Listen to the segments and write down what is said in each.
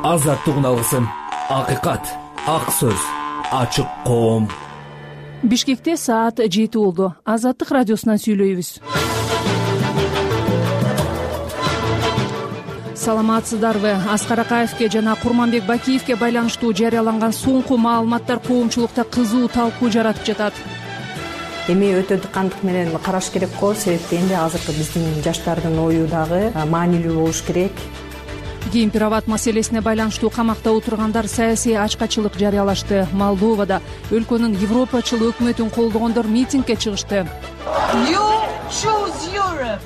Азаттык алгысым, акыйкат, ак сөз, ачык коом. Бишкекте саат 7 болду. Азаттык радиосунан сүйлөйбүз. Саламатсыздарбы? Аскар Акаевке жана Курманбек Бакиевке байланыштуу жарыяланган соңку маалыматтар коомчулукта кызуу талкуу жаратып жатат. Эми өтө дыкандык менен караш керек го, себеби энди азыркы биздин жаштардын ою дагы маанилүү болуш керек. Кемпир-абад маселесине байланыштуу камакта отургандар саясий ачкачылык жарыялашты. Молдовада өлкөнүн европачыл өкмөтүн колдогондор митингге чыгышты.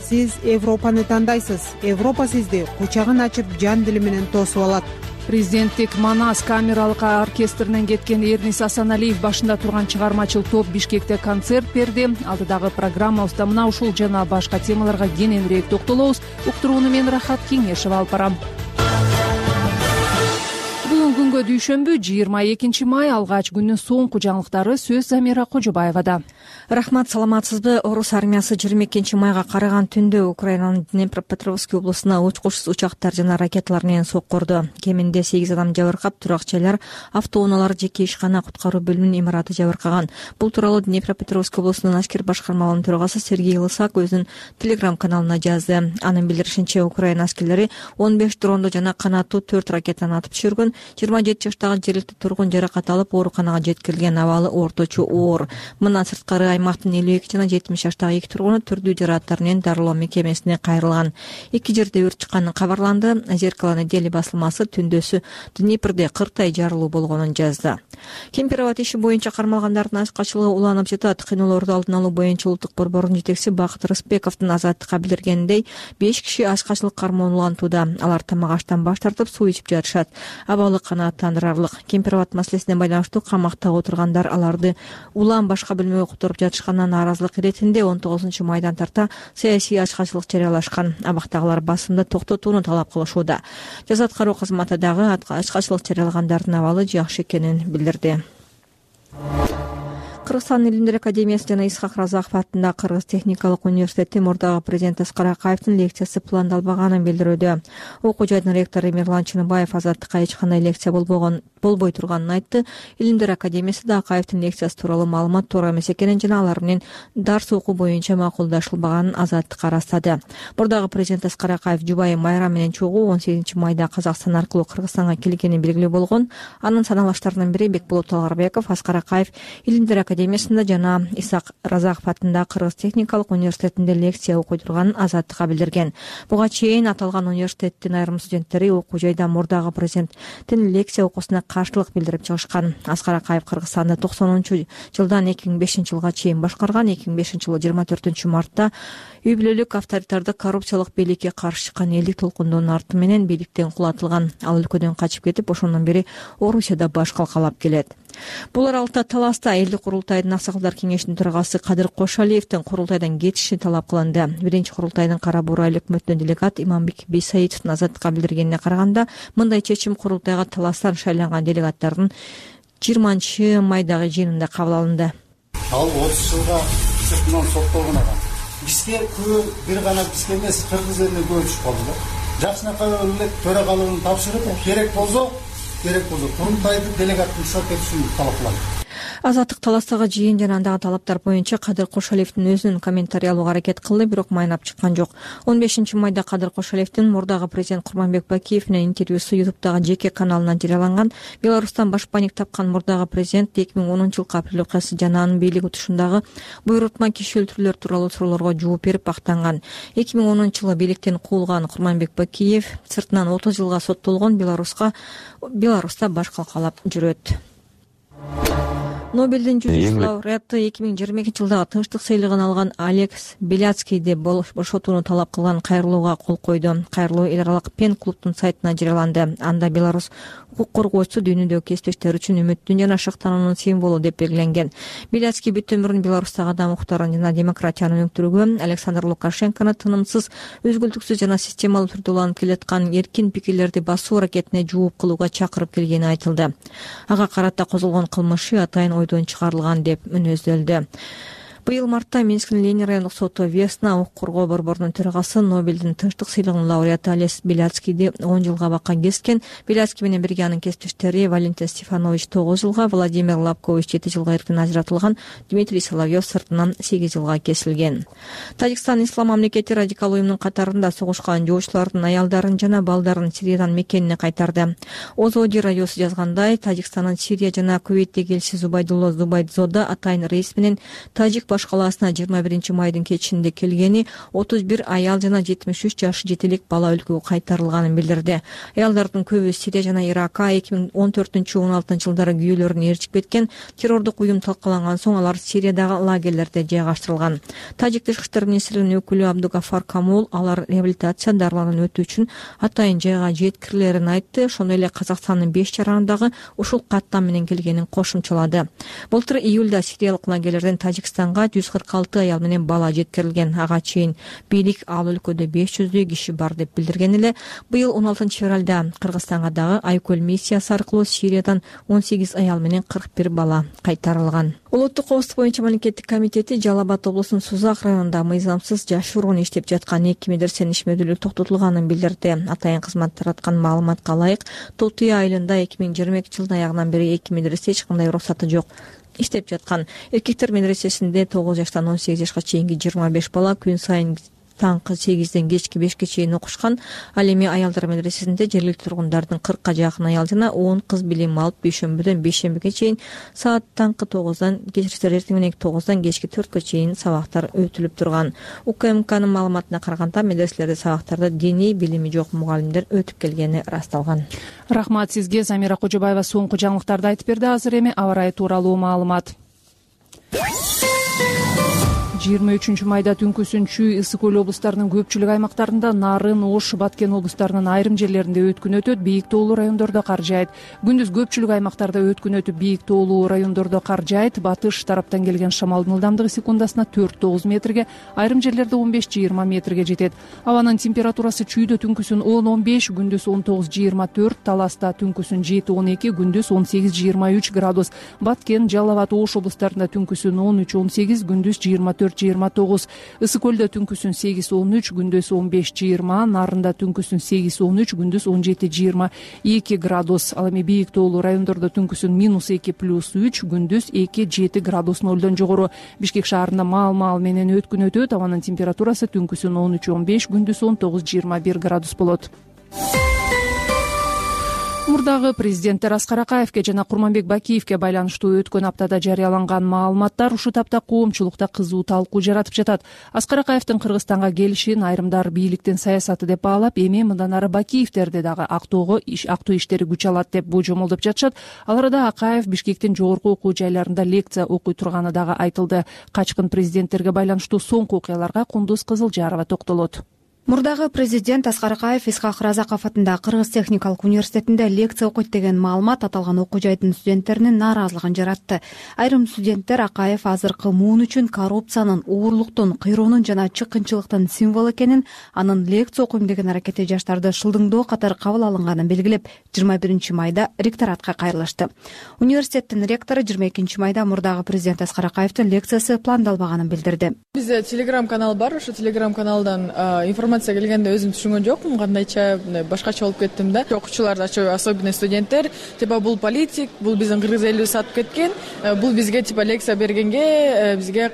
Сиз Европаны тандайсыз. Европа сизди кучагын ачып жан дили менен тосуп алат. Президенттик Манас камералык оркестринен кеткен Эрнис Асаналиев башында турган чыгармачыл топ Бишкекте концерт берди. Алдыдагы программабызда мына ушул жана башка темаларга кененирээк токтолобуз. Уктурууну мен Рахат Кеңешева алып барам. Бүгүн күнгө дүйшөмбү 22 май алгач күндүн соңку жаңылыктары сөз Замира Кожобаевада. Рахмат, саламатсызбы? Орус армиясы 22 майга караган түндө Украинанын Днепропетровск облусуна учкучсуз учактар жана ракеталар менен соккурду. Кеминде 8 адам жабыркап, турак-жайлар, автоунаалар, жеке ишкана, куткаруу бөлүмүнүн имараты жабыркаган. Бул тууралуу Днепропетровск облусунун Ашкер башкармалыгынын төрагасы Сергей Лысак өзүнүн телеграм-каналына жазды. Анын билдиришинче, Украина аскерлери 15 дронду жана канаттуу 4 ракетаны атып түшүргөн. 27 жаштагы жергиликтүү тургун жаракат алып, ооруканага жеткирилген, абалы орточо оор. Мындан сырткары аймактын 52 жана 70 жаштагы 2 тургуну түрдүү жаракаттар менен дарылоо мекемесине кайрылган. Эки жерде өрт чыкканы кабарланды. Зеркало недели басылмасы түндөсү Днепрде 40 жарылуу болгонун жазды. Кемпир-абад иши боюнча кармалгандардын ачкачылыгы уланып жатат. Кыйноолорду алдын алуу боюнча улуттук борбордун жетекчиси Бакыт Рысбековдун азаттыкка билдиргениндей, 5 киши ачкачылык кармоонун улантууда. Алар тамак аштан баш тартып, суу ичип жатышат. Абалы канааттандырарлык. Кемпир-абад маселесине байланыштуу камакта отургандар аларды улам башка бөлмөгө которуп жатышканына нааразылык иретинде 19 майдан тарта саясий ачкачылык жарыялашкан. Абактагылар басымды токтотууну талап кылышууда. Жаза аткаруу кызматы дагы ачкачылык жарыялагандардын абалы жакшы экенин билдирди. Кыргызстан илимдер академиясы жана Исхак Разаков атындагы Кыргыз техникалык университети мурдагы президент Аскар Акаевдин лекциясы пландалбаганын билдирүүдө. Окуу жайдын ректору Эмирлан Чыныбаев азаттыкка эч кандай лекция болбой турганын айтты. Илимдер академиясы да Акаевдин лекциясы тууралуу маалымат туура эмес экенин жана алар менен дарс окуу боюнча макулдашылбаганын азаттыкка ырастады. Мурдагы президент Аскар Акаев жубайы Майра менен чогуу 18 майда Казакстан аркылуу Кыргызстанга келгени белгилүү болгон. Анын саналаштарынын бири Бекболот Талгарбеков Аскар Акаев илимдер академиясында жана Исхак Разаков атындагы Кыргыз техникалык университетинде лекция окуй турганын азаттыкка билдирген. Буга чейин аталган университеттин айрым студенттери окуу жайда мурдагы президенттин лекция окуусуна каршылык билдирип чыгышкан. Аскар Акаев Кыргызстанды 90-жылдан 2005-жылга чейин башкарган. 2005-жылы 24 мартта үй бүлөлүк авторитардык коррупциялык бийликке каршы чыккан элдик толкундун арты менен бийликтен кулатылган. Ал өлкөдөн качып кетип, ошондон бери Орусияда баш калкалап келет. Бул аралыкта таласта элдик курултайдын аксакалдар кеңешинин төрагасы Кадыр Кошалиевдин курултайдан кетиши талап кылынды. Биринчи курултайдын Кара Бурай өкмөтүнүн делегат Иманбек Бейсаитовдун азаттыкка билдиргенине караганда, мындай чечим курултайга таластан шайланган делегаттардын 20 майдагы жыйынында кабыл алынды. Ал 30 жылга сыртынан соттолгон адам. Бизге күбө бир гана бизге эмес, кыргыз элине көп түшүп калды да. Жакшынакай элек төрагалыгын тапшырып, керек болсо курултайды делегаттын сот этишин талап кылат. Азаттык таластагы жыйын жана андагы талаптар боюнча Кадыр Кошалиевдин өзүнүн комментарий алууга аракет кылды, бирок майнап чыккан жок. 15 майда Кадыр Кошалиевдин мурдагы президент Курманбек Бакиев менен интервьюсу YouTube'дагы жеке каналынан жарыяланган. Беларустан башпаник тапкан мурдагы президент 2010-жылкы апрель окуясы жана анын бийлик утушундагы буйрутма киши өлтүрүүлөр тууралуу суроолорго жооп берип актанган. 2010-жылы бийликтен куулган Курманбек Бакиев сыртынан 30 жылга соттолгон. Беларуста баш калкалап жүрөт. Нобелдин жүзү лауреаты 2022-жылдагы тынчтык сыйлыгын алган Алекс Беляцкийди бошотууну талап кылган кайрылууга кол койду. Кайрылуу эл аралык Пен клубтун сайтына жарыяланды. Анда Беларусь укук коргоочусу дүйнөдөгү кесиптештер үчүн үмүттүн жана шыктануунун символу деп белгиленген. Беляцкий бүт өмүрүн Беларустагы адам укуктарын жана демократияны өнүктүрүүгө, Александр Лукашенкону тынымсыз, үзгүлтүксүз жана системалуу түрдө уланып келаткан эркин пикирлерди басуу аракетине жооп кылууга чакырып келгени айтылды. Ага карата козголгон кылмышы атайын ойдон чыгарылган деп мүнөздөлдү. Быйыл мартта Минсктин Ленин райондук соту Весна укук коргоо борборунун төрагасы Нобелдин тынчтык сыйлыгынын лауреаты Олег Беляцкийди 10 жылга абакка кескен. Беляцкий менен бирге анын кесиптештери Валентин Стефанович 9 жылга, Владимир Лапкович 7 жылга эркин ажыратылган, Дмитрий Соловьев сыртынан 8 жылга кесилген. Тажикстан ислам мамлекети радикал уюмунун катарында согушкан жоочулардын аялдарын жана балдарын Сириядан мекенине кайтарды. Озоди радиосу жазгандай, Тажикстандын Сирия жана Кувейттеги элчиси Зубайдулло Зубайдзода атайын рейс менен Тажик баш калаасына 21 майдын кечинде келгени, 31 аял жана 73 жаш жетелик бала өлкөгө кайтарылганын билдирди. Аялдардын көбү Сирия жана Иракка 2014-16 жылдары күйөөлөрүн ээрчип кеткен. Террордук уюм талкаланган соң алар Сириядагы лагерлерде жайгаштырылган. Тажик тышкы иштер министрлигинин өкүлү Абдугафар Камул алар реабилитация дарыланууну өтүү үчүн атайын жайга жеткирилерин айтты. Ошондой эле Казакстандын 5 жаранындагы ушул каттам менен келгенин кошумчалады. Былтыр июлда сириялык лагерлерден Тажикстанга 146 аял менен бала жеткирилген. Ага чейин бийлик ал өлкөдө 500 киши бар деп билдирген эле. Быйыл 16 февралда Кыргызстанга дагы Айкөл миссиясы аркылуу Сириядан 18 аял менен 41 бала кайтарылган. Улуттук коопсуздук боюнча мамлекеттик комитети Жалал Абад облусунун Сузак районунда мыйзамсыз жашыруун иштеп жаткан 2 медресенин ишмердүүлүгү токтотулганын билдирди. Атайын кызмат тараткан маалыматка ылайык, Тотуя айылында 2022 жылдын аягынан бери 2 медресе эч кандай уруксаты жок иштеп жаткан. Эркектер медресесинде 9 жаштан 18 жашка чейинки 25 бала күн сайын таңкы 8ден кечки 5ке чейин окушкан. Ал эми аялдар медресесинде жергиликтүү тургундардын 40ка жакын аял жана 10 кыз билим алып дүйшөмбүдөн бейшембиге чейин саат таңкы 9дан эртең менен 9дан кечки 4кө чейин сабактар өтүлүп турган. УКМКнын маалыматына караганда медреселерде сабактарды диний билими жок мугалимдер өтүп келгени ырасталган. Рахмат сизге. Замира Кожобаева соңку жаңылыктарды айтып берди. Азыр эми аба ырайы тууралуу маалымат. 23 майда түнкүсүн Чүй, Ысык көл облустарынын көпчүлүк аймактарында, Нарын, Ош, Баткен облустарынын айрым жерлеринде өткүн өтөт, бийик тоолуу райондордо кар жаайт. Күндүз көпчүлүк аймактарда өткүн өтүп, бийик тоолуу райондордо кар жаайт. Батыш тараптан келген шамалдын ылдамдыгы секундасына 4-9 метрге, айрым жерлерде 15-20 метрге жетет. Абанын температурасы Чүйдө түнкүсүн 10-15, күндүз 19-24, Таласта түнкүсүн 7-12, күндүз 18-23 градус. Баткен, Жалал Абад, Ош облустарында түнкүсүн 13-18, күндүз 24-29, Ысык көлдө түнкүсүн 8-13, күндүз 15-20, Нарында түнкүсүн 8-13, күндүз 17-22 градус. Ал эми бийик тоолуу райондордо түнкүсүн -2 + 3, күндүз 2-7 градус нолдон жогору. Бишкек шаарында маал-маал менен өткүн өтөт. Абанын температурасы түнкүсүн 13-15, күндүз 19-21 градус болот. Мурдагы президенттер Аскар Акаевке жана Курманбек Бакиевке байланыштуу өткөн аптада жарыяланган маалыматтар ушул тапта коомчулукта кызуу талкуу жаратып жатат. Аскар Акаевдин Кыргызстанга келишин айрымдар бийликтин саясаты деп баалап, эми мындан ары Бакиевдерди дагы актоо иштери күч алат деп божомолдоп жатышат. Ал арада Акаев Бишкектин жогорку окуу жайларында лекция окуй турганы дагы айтылды. Качкын президенттерге байланыштуу соңку окуяларга Кундуз Кызылжарова токтолот. Мурдагы президент Аскар Акаев Исхак Разаков атындагы Кыргыз техникалык университетинде лекция окуйт деген маалымат аталган окуу жайдын студенттеринин нааразылыгын жаратты. Айрым студенттер Акаев азыркы муун үчүн коррупциянын, уурлуктун, кыйроонун жана чыккынчылыктын символу экенин, анын лекция окуйм деген аракети жаштарды шылдыңдоо катары кабыл алынганын белгилеп, 21 майда ректоратка кайрылышты. Университеттин ректору 22 майда мурдагы президент Аскар Акаевдин лекциясы пландалбаганын билдирди. Бизде телеграм-канал бар, ошо телеграм-каналдан информация келгенде өзүм түшүнгөн жокмун, кандайча башкача болуп кеттим да. Окуучулар, особенно студенттер, бул политик, бул биздин кыргыз элибиз сатып кеткен, бул бизге лекция бергенге бизге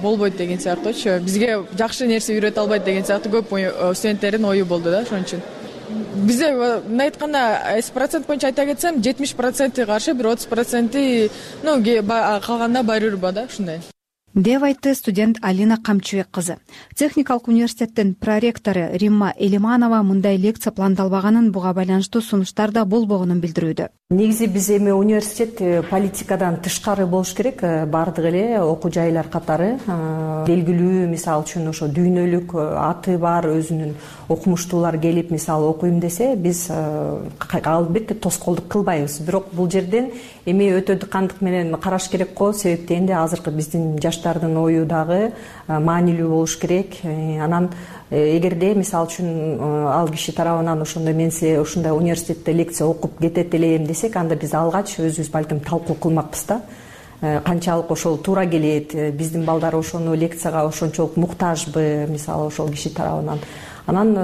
болбойт деген сыяктуучу, бизге жакшы нерсе үйрөтө албайт деген сыяктуу көп студенттердин ою болду да. Ошон үчүн бизде мына айтканда 100% боюнча айта кетсем 70% каршы, бир 30% калганда барырба да, ушундай деп айтты студент Алина Камчыбек кызы. Техникалык университеттин проректору Римма Элиманова мындай лекция пландалбаганын, буга байланыштуу сунуштар да болбогонун билдирүүдө. Негизи биз эми университет политикадан тышкары болуш керек, бардык эле окуу жайлар катары белгилүү, мисалы үчүн ошо дүйнөлүк аты бар өзүнүн окумуштуулар келип мисалы окуйм десе, биз албетте тоскоолдук кылбайбыз. Бирок бул жерден эми өтө дыкандык менен караш керек го, себеп дегенде азыркы биздин жаштардын ою дагы маанилүү болуш керек. Анан эгерде мисалы үчүн ал киши тарабынан ошондой мен ушундай университетте лекция окуп кетет элем десек, анда биз алгач өзүбүз балким талкуу кылмакпыз да. канчалык ошол туура келет, биздин балдар ошону лекцияга ошончолук муктажбы мисалы ошол киши тарабынан, анан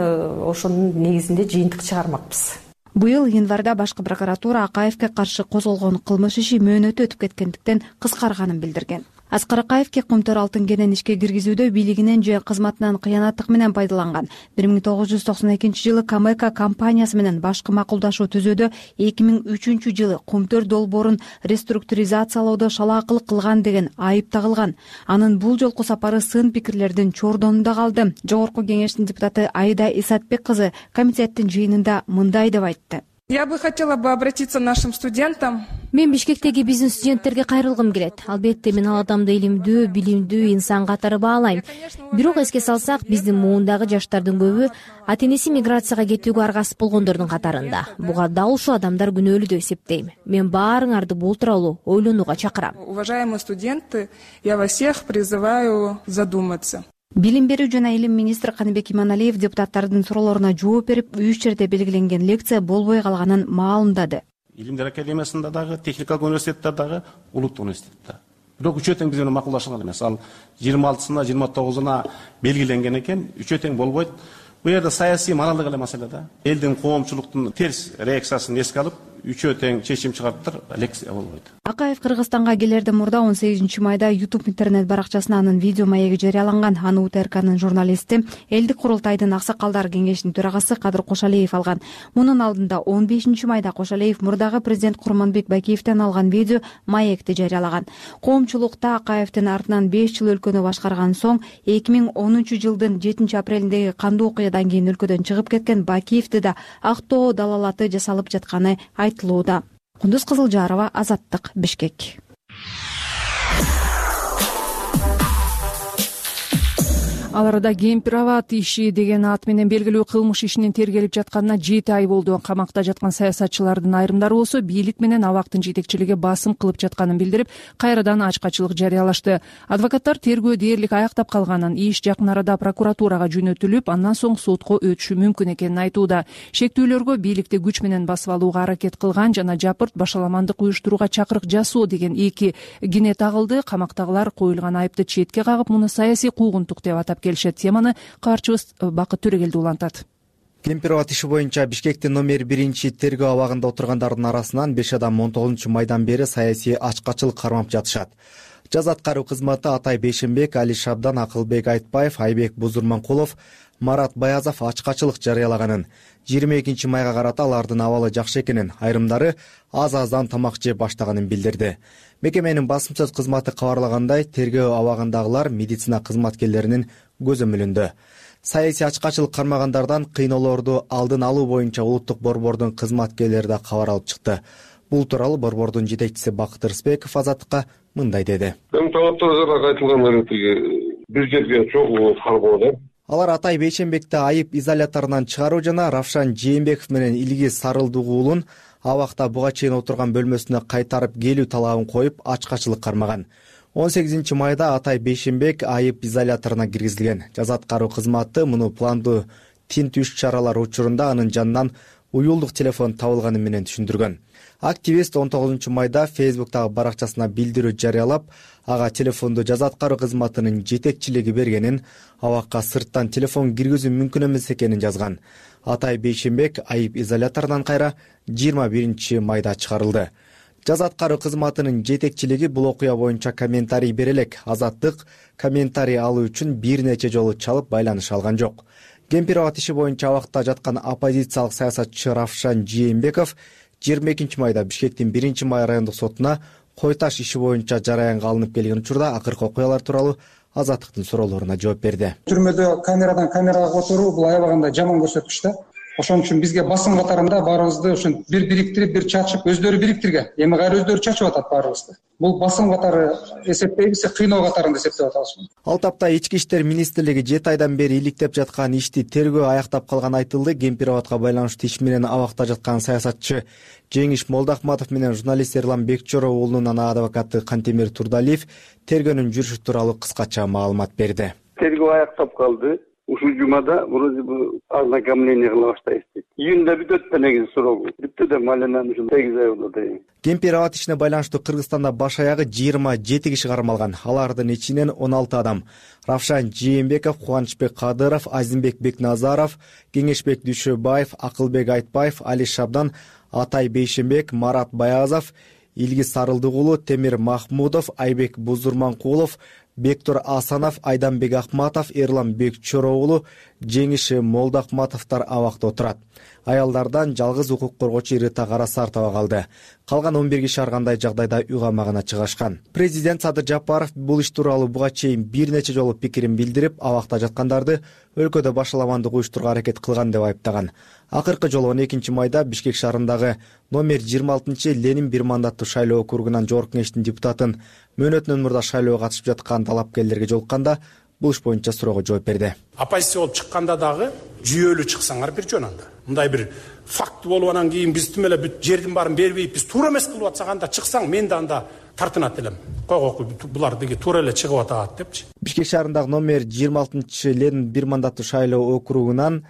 ошонун негизинде жыйынтык чыгармакпыз. Быйыл январда башкы прокуратура Акаевке каршы козголгон кылмыш иши мөөнөтү өтүп кеткендиктен кыскарганын билдирген. Аскар Акаевке Кумтөр алтын кенен ишке киргизүүдө бийлигинен же кызматынан кыянаттык менен пайдаланган. 1992-жылы Камека компаниясы менен башкы макулдашуу түзүүдө 2003-жылы Кумтөр долбоорун реструктуризациялоодо шалаакылык кылган деген айып тагылган. Анын бул жолку сапары сын пикирлердин чордонунда калды. Жогорку кеңештин депутаты Айда Исатбек кызы комитеттин жыйынында мындай деп айтты. Я бы хотела обратиться к нашим студентам. Мен Бишкектеги биздин студенттерге кайрылгым келет. Албетте мен ал адамды илимдүү, билимдүү инсан катары баалайм. Бирок эске салсак, биздин муундагы жаштардын көбү ата-энеси миграцияга кетүүгө аргасыз болгондордун катарында. Буга дал ушул адамдар күнөөлүү деп эсептейм. Мен баарыңарды бул тууралуу ойлонууга чакырам. Уважаемые студенты, я вас всех призываю задуматься. Билим берүү жана илим министри Каныбек Иманалиев депутаттардын суроолоруна жооп берип, 3 жерде белгиленген лекция болбой калганын маалымдады. Илимдер академиясында дагы, техникалык университетте дагы, улуттук университетте. Бирок үчөө тең биз менен макулдашылган эмес. Ал 26-сына, 29-уна белгиленген экен, үчөө тең болбойт. Бул жерде саясий моралдык эле маселе да. Элдин коомчулуктун терс реакциясын эске алып, үчөө тең чечим чыгарыптыр, лекция болбойт. Акаев Кыргызстанга келерде мурда 18-майда YouTube интернет баракчасына анын видео маеги жарыяланган. Аны УТРКнын журналисти, Элдик курултайдын аксакалдар кеңешинин төрагасы Кадыр Кошалиев алган. Мунун алдында 15-майда Кошалиев мурдагы президент Курманбек Бакиевден алган видео маекти жарыялаган. Коомчулукта Акаевдин артынан 5 жыл өлкөнү башкарган соң 2010-жылдын 7-апрелиндеги кандуу окуядан кийин өлкөдөн чыгып кеткен Бакиевди да актоо далалаты жасалып жатканы айтылууда. Кундуз Кызылжарова, Азаттык, Бишкек. Ал арада Кемпироват иши деген ат менен белгилүү кылмыш ишинин тергелип жатканына 7 ай болду. Камакта жаткан саясатчылардын айрымдары болсо бийлик менен абактын жетекчилиги басым кылып жатканын билдирип, кайрадан ачкачылык жарыялашты. Адвокаттар тергөө дээрлик аяктап калганын, иш жакын арада прокуратурага жөнөтүлүп, андан соң сотко өтүшү мүмкүн экенин айтууда. Шектүүлөргө бийликти күч менен басып алууга аракет кылган жана жапырт башаламандык уюштурууга чакырык жасоо деген 2 кине тагылды. Камактагылар коюлган айыпты четке кагып, муну саясий куугунтук деп атап келишет. Теманы каарчыбыз Бакыт Төрөгелди улантат. Кемпироват иши боюнча Бишкектин номер 1 тергөө абагында отургандардын арасынан 5 адам 19-майдан бери саясий ачкачылык кармап жатышат. Жаз аткаруу кызматы Атай Бейшенбек, Али Шабдан, Акылбек Айтбаев, Айбек Бузурманкулов, Марат Баязов ачкачылык жарыялаганын, 22-майга карата алардын абалы жакшы экенин, айрымдары аз-аздан тамак жеп баштаганын билдирди. Мекеменин басым сөз кызматы кабарлагандай, тергөө абагындагылар медицина кызматкерлеринин көзөмөлүндө. Саясий ачкачылык кармагандардан кыйноолорду алдын алуу боюнча улуттук борбордун кызматкерлери да кабар алып чыкты. Бул тууралуу борбордун жетекчиси Бакыт Рыспеков Азаттыкка мындай деди. Талаптарга айтылган бир жерге чогуу кармоо. Алар Атай Бейшенбекти айып изоляторунан чыгаруу жана Равшан Жээнбеков менен Илгиз Сарылдуу уулун абакта буга чейин отурган бөлмөсүнө кайтарып келүү талабын коюп ачкачылык кармаган. 18-майда Атай Бейшенбек айып изоляторуна киргизилген. Жаза аткаруу кызматы муну пландуу тинтүү иш-чаралар учурунда анын жанынан уюлдук телефон табылганы менен түшүндүргөн. Активист 19-майда Facebook'тагы баракчасына билдирүү жарыялап, ага телефонду жаза аткаруу кызматынын жетекчилиги бергенин, абакка сырттан телефон киргизүү мүмкүн эмес экенин жазган. Атай Бейшенбек айып изоляторунан кайра 21-майда чыгарылды. Жаза аткаруу кызматынын жетекчилиги бул окуя боюнча комментарий бере элек. Азаттык комментарий алуу үчүн бир нече жолу чалып байланыш алган жок. Кемпироват иши боюнча абакта жаткан оппозициялык саясатчы Равшан Жээнбеков 22-майда Бишкектин 1-май райондук сотуна кой таш иши боюнча жараянга алынып келген учурда акыркы окуялар тууралуу Азаттыктын суроолоруна жооп берди. Түрмөдө камерага отуруу бул аябаганда жаман көрсөткүч да. Ошон үчүн бизге басым катарында баарыбызды ошон бир бириктирип, бир чачып, өздөрү бириктирген. Эми кайра өздөрү чачып атат баарыбызды. Бул басым катары эсептейбиз, кыйноо катарында эсептеп атабыз. Ал тапта Ички иштер министрлиги 7 айдан бери иликтеп жаткан ишти тергөө аяктап калган айтылды. Кемпироватка байланыштуу иш менен абакта жаткан саясатчы Жеңиш Молдахматов менен журналист Эрлан Бекчоров уулунун адвокаты Кантемир Турдалиев тергөөнүн жүрүшү тууралуу кыскача маалымат берди. Тергөө аяктап калды. Ушул жумада вроде бы ознакомление кыла баштайбыз. июнда бүтөт да негизи срогу. Бүттү да маленен ушул 8 ай болот дейм. Кемпир аба ишине байланыштуу Кыргызстанда баш аягы 27 киши кармалган. Алардын ичинен 16 адам. Равшан Жээнбеков, Кубанычбек Кадыров, Азимбек Бекназаров, Кеңешбек Дүйшөбаев, Акылбек Айтбаев, Али Шабдан, Атай Бейшенбек, Марат Баязов, Илгиз Сарылдыгулу, Темир Махмудов, Айбек Бузурманкулов, Бектур Асанов, Айданбек Акматов, Эрлан Бекчороогулу, Жеңиши Молдахматовдор абакта отурат. Аялдардан жалгыз укук коргоочу Рита Карасартова калды. Калган 11 киши ар кандай жагдайда үй камагына чыгышкан. Президент Садыр Жапаров бул иш тууралуу буга чейин бир нече жолу пикирин билдирип, абакта жаткандарды өлкөдө башаламандык уюштурууга аракет кылган деп айыптаган. Акыркы жолу 12 майда Бишкек шаарындагы номер 26 Ленин бир мандаттуу шайлоо округунан жогорку кеңештин депутатын мөөнөтүнөн мурда шайлоого катышып жаткан талапкерлерге жолукканда бул иш боюнча суроого жооп берди. Оппозиция болуп чыкканда дагы жүйөлүү чыксаңар бир жөн анда. Мындай бир факт болуп анан кийин биз тим эле бүт жердин баарын бербейт, биз туура эмес кылып атсак анда чыксаң мен да анда тартынат элем. Койгоку булар деги туура эле чыгып атат депчи. Бишкек шаарындагы номер 26 Ленин бир мандаттуу шайлоо округунан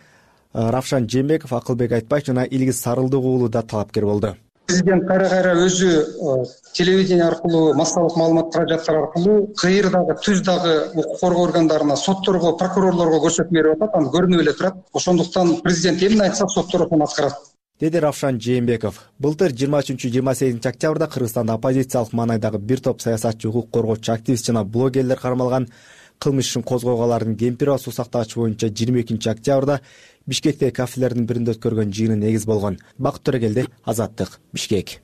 Равшан Жээнбеков, Акылбек Айтбаев жана Илгиз Сарылдыгулу да талапкер болду. Президент кайра өзү телевидение аркылуу, массалык маалымат каражаттар аркылуу кыйыр дагы, түз дагы укук коргоо органдарына, сотторго, прокурорлорго көрсөтмө берип атат, аны көрүнүп эле турат. Ошондуктан президент эмне айтса соттор ошону аткарат, деди Равшан Жээнбеков. Былтыр 23-28 октябрда Кыргызстанда оппозициялык маанайдагы бир топ саясатчы, укук коргоочу, активист жана блогерлер кармалган. Кылмыш ишин козгогоолордун Кемпир аба суу сактагычы боюнча 22 октябрда Бишкектеги кафелердин биринде өткөргөн жыйыны негиз болгон. Бакыт Төрөгелди, Азаттык, Бишкек.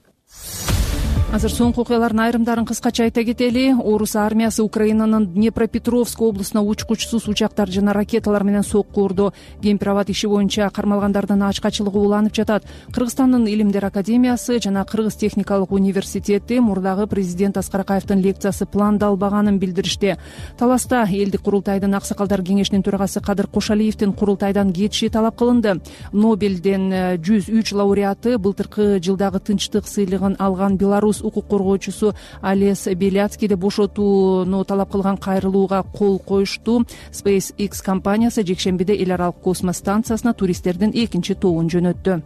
Азыр соңку окуялардын айрымдарын кыскача айта кетели. Орус армиясы Украинанын Днепропетровск облусуна учкучсуз учактар жана ракеталар менен сокку урду. Кемпир абад иши боюнча кармалгандардын ачкачылыгы уланып жатат. Кыргызстандын Илимдер академиясы жана Кыргыз техникалык университети мурдагы президент Аскар Акаевдин лекциясы пландалбаганын билдиришти. Таласта элдик курултайдын аксакалдар кеңешинин төрагасы Кадыр Кошалиевдин курултайдан кетиши талап кылынды. Нобелден 103 лауреаты былтыркы жылдагы тынчтык сыйлыгын алган Беларусь укук коргоочусу Алес Беляцкийди бошотууну талап кылган кайрылууга кол коюшту. SpaceX компаниясы жекшембиде эл аралык космос станциясына туристтердин экинчи тобун жөнөттү.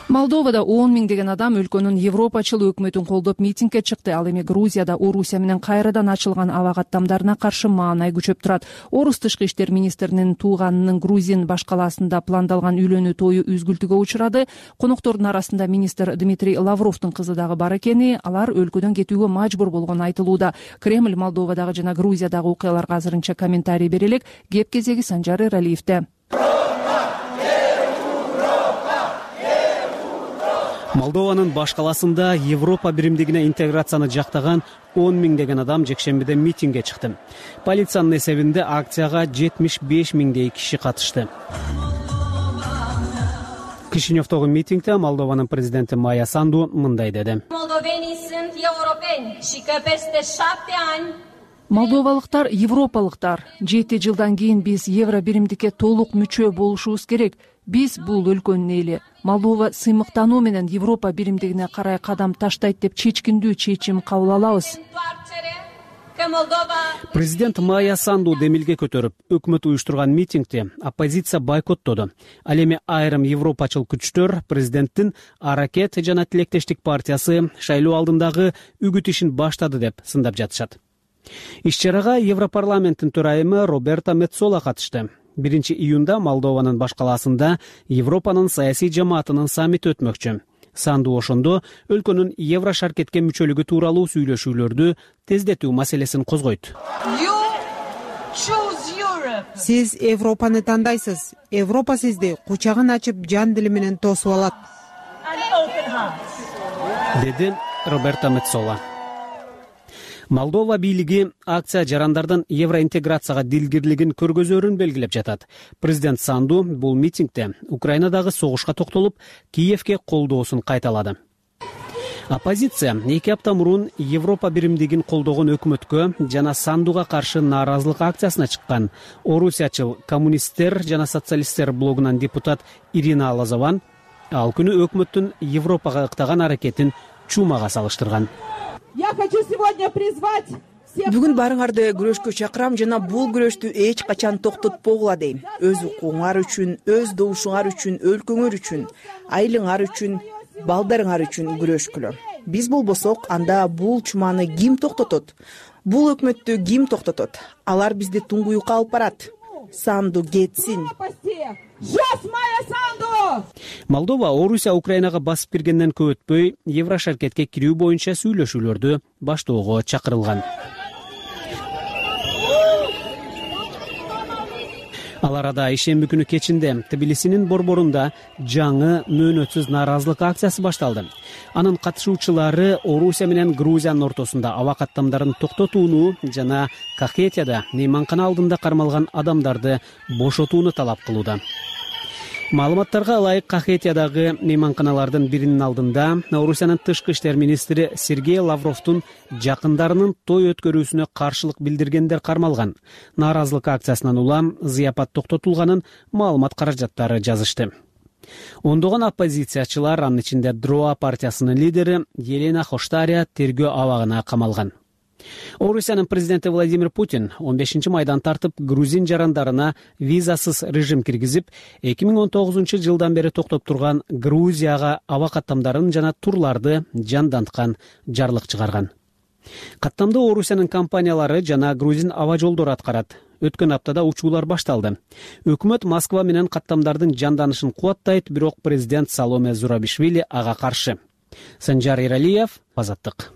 Молдовада 10 миңдеген адам өлкөнүн европачыл өкмөтүн колдоп митингге чыкты. Ал эми Грузияда Орусия менен кайрадан ачылган аба каттамдарына каршы маанай күчөп турат. Орус тышкы иштер министринин тууганынын Грузин баш калаасында пландалган үйлөнүү тою үзгүлтүгө учурады. Коноктордун арасында министр Дмитрий Лавровдун кызы дагы бар экени, алар өлкөдөн кетүүгө мажбур болгону айтылууда. Кремль Молдовадагы жана Грузиядагы окуяларга азырынча комментарий бере элек. Кеп кезеги Санжар Эралиевде. Молдованын баш калаасында Европа биримдигине интеграцияны жактаган 10 миңдеген адам жекшембиде митингге чыкты. Полициянын эсебинде акцияга 75 миңдей киши катышты. Кишиневдогу митингде Молдованын президенти Майя Санду мындай деди. Молдовалыктар европалыктар. 7 жылдан кийин биз евро биримдикке толук мүчө болушубуз керек. Биз бул өлкөнүн эли. Молдова сыймыктануу менен Европа биримдигине карай кадам таштайт деп чечкиндүү чечим кабыл алабыз. Президент Майя Санду демилге көтөрүп, өкмөт уюштурган митингди оппозиция бойкоттоду. Ал эми айрым европачыл күчтөр президенттин Аракет жана Тилектештик партиясы шайлоо алдындагы үгүт ишин баштады деп сындап жатышат. Иш-чарага Европарламенттин төрайымы Роберта Меццола катышты. 1 июнда Молдованын баш калаасында Европанын саясий жамаатынын саммити өтмөкчү. Санду ошондо өлкөнүн евро шаркетке мүчөлүгү тууралуу сүйлөшүүлөрдү тездетүү маселесин козгойт. Сиз Европаны тандайсыз. Европа сизди кучагын ачып жан дили менен тосуп алат, деди Роберта Меццола. Молдова бийлиги акция жарандардын евроинтеграцияга дилгирлигин көргөзөрүн белгилеп жатат. Президент Санду бул митингде Украинадагы согушка токтолуп, Киевке колдоосун кайталады. Оппозиция 2 апта мурун Европа биримдигин колдогон өкмөткө жана Сандуга каршы нааразылык акциясына чыккан орусиячыл коммунисттер жана социалисттер блогунан депутат Ирина Лазован ал күнү өкмөттүн Европага ыктаган аракетин чумага салыштырган. Я хочу сегодня призвать Бүгүн баарыңарды күрөшкө чакырам жана бул күрөштү эч качан токтотпогула дейм. Өз укугуңар үчүн, өз добушуңар үчүн, өлкөңөр үчүн, айылыңар үчүн, балдарыңар үчүн күрөшкүлө. Биз болбосок, анда бул чуманы ким токтотот? Бул өкмөттү ким токтотот? Алар бизди туңгуюкка алып барат. Санду кетсин. Молдова Орусия Украинага басып киргенден көп өтпөй Еврошаркетке кирүү боюнча сүйлөшүүлөрдү баштоого чакырылган. Ал арада ишемби күнү кечинде Тбилисинин борборунда жаңы мөөнөтсүз нааразылык акциясы башталды. Анын катышуучулары Орусия менен Грузиянын ортосунда аба каттамдарын токтотууну жана Кахетияда мейманкана алдында кармалган адамдарды бошотууну талап кылууда. Маалыматтарга ылайык, Кахетиядагы мейманканалардын биринин алдында Орусиянын тышкы иштер министри Сергей Лавровдун жакындарынын той өткөрүүсүнө каршылык билдиргендер кармалган. Нааразылык акциясынан улам зыяпат токтотулганын маалымат каражаттары жазышты. Ондогон оппозициячылар, анын ичинде Дроа партиясынын лидери Елена Хоштария тергөө абагына камалган. Орусиянын президенти Владимир Путин 15-майдан тартып грузин жарандарына визасыз режим киргизип, 2019 жылдан бери токтоп турган Грузияга аба каттамдарын жана турларды жанданткан жарлык чыгарган. Каттамды Орусиянын компаниялары жана грузин аба жолдору аткарат. Өткөн аптада учуулар башталды. Өкмөт Москва менен каттамдардын жанданышын кубаттайт, бирок президент Саломе Зурабишвили ага каршы. Санжар Иралиев, Азаттык.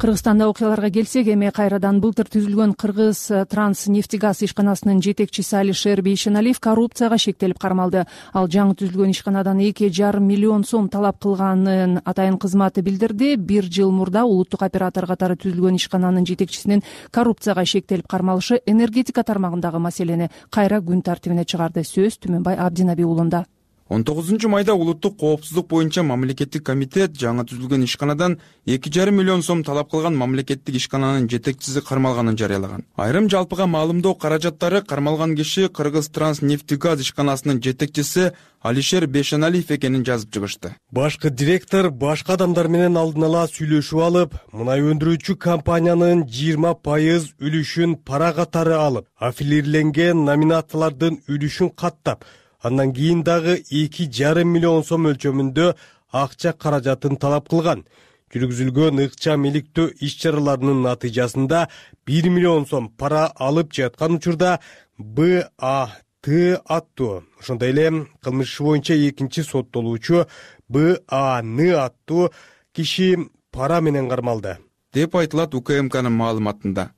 Кыргызстанда окуяларга келсек, эми кайрадан былтыр түзүлгөн Кыргыз Транснефтегаз ишканасынын жетекчиси Алишер Бейшеналиев коррупцияга шектелип кармалды. Ал жаңы түзүлгөн ишканадан 2,5 миллион сом талап кылганын атайын кызматы билдирди. 1 жыл мурда улуттук оператор катары түзүлгөн ишкананын жетекчисинин коррупцияга шектелип кармалышы энергетика тармагындагы маселени кайра күн тартибине чыгарды. Сөз Түмөнбай Абдинаби уулунда. 19-майда улуттук коопсуздук боюнча мамлекеттик комитет жаңы түзүлгөн ишканадан 2,5 миллион сом талап кылган мамлекеттик ишкананын жетекчиси кармалганын жарыялаган. Айрым жалпыга маалымдоо каражаттары кармалган киши Кыргыз Транснефтегаз ишканасынын жетекчиси Алишер Бейшеналиев экенин жазып чыгышты. Башкы директор башка адамдар менен алдын ала сүйлөшүп алып, мунай өндүрүүчү компаниянын 20% үлүшүн пара катары алып, аффилирленген номинациялардын үлүшүн каттап, андан кийин дагы 2,5 миллион сом өлчөмүндө акча каражатын талап кылган. Жүргүзүлгөн ыкчам иликтөө иш-чараларынын натыйжасында 1 миллион сом пара алып жаткан учурда БАТ аттуу, ошондой эле кылмыш иши боюнча экинчи соттолуучу БАН аттуу киши пара менен кармалды, деп айтылат УКМКнын маалыматында.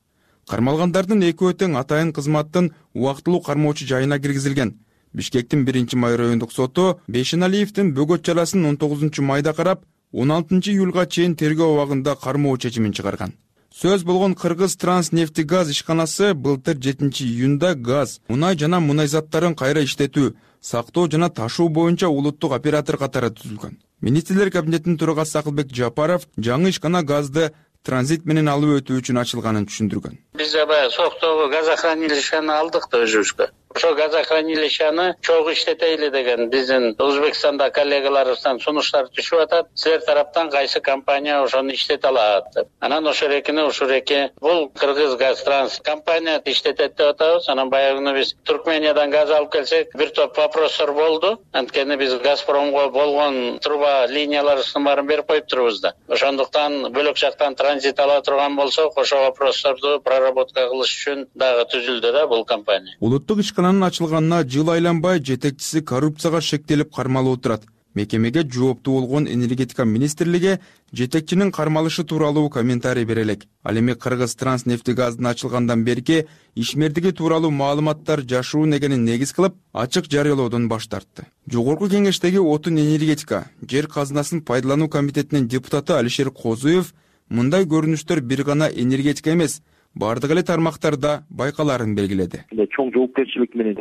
Кармалгандардын экөө тең атайын кызматтын убактылуу кармоочу жайына киргизилген. Бишкектин 1-май райондук соту Бейшеналиевдин бөгөт чарасын 19-майда карап, 16-июлга чейин тергөө абагында кармоо чечимин чыгарган. Сөз болгон Кыргыз Транснефтегаз ишканасы былтыр 7-июнда газ, мунай жана мунай заттарын кайра иштетүү, сактоо жана ташуу боюнча улуттук оператор катары түзүлгөн. Министрлер кабинетинин төрагасы Акылбек Жапаров жаңы ишкана газды транзит менен алып өтүү үчүн ачылганын түшүндүргөн. Биз аба Соктогу газохранилищени алдык да өзүбүзгө. Ошо газохранилищени чогуу иштетели деген биздин Өзбекстанда коллегаларыбыздан сунуштар түшүп атат. Силер тараптан кайсы компания ошону иштете алат деп. Анан ошол эки бул Кыргыз Газтранс компания иштетет деп атабыз. Анан баягы биз Туркмениядан газ алып келсек, бир топ вопростор болду. Анткени биз Газпромго болгон труба линияларыбыздын баарын берип коюп турбуз да. Ошондуктан бөлөк жактан транзит ала турган болсок, ошо вопросторду проработка кылыш үчүн дагы түзүлдү да бул компания. Улуттук ишкананын ачылганына жыл айланбай жетекчиси коррупцияга шектелип кармалып отурат. Мекемеге жооптуу болгон энергетика министрлиги жетекчинин кармалышы тууралуу комментарий бере элек. Ал эми Кыргыз Транснефтегаздын ачылгандан берки ишмердиги тууралуу маалыматтар жашыруун экенин негиз кылып, ачык жарыялоодон баш тартты. Жогорку кеңештеги отун энергетика, жер казынасын пайдалануу комитетинин депутаты Алишер Козуев мындай көрүнүштөр бир гана энергетика эмес, бардык эле тармактарда байкаларын белгиледи. Чоң жоопкерчилик менен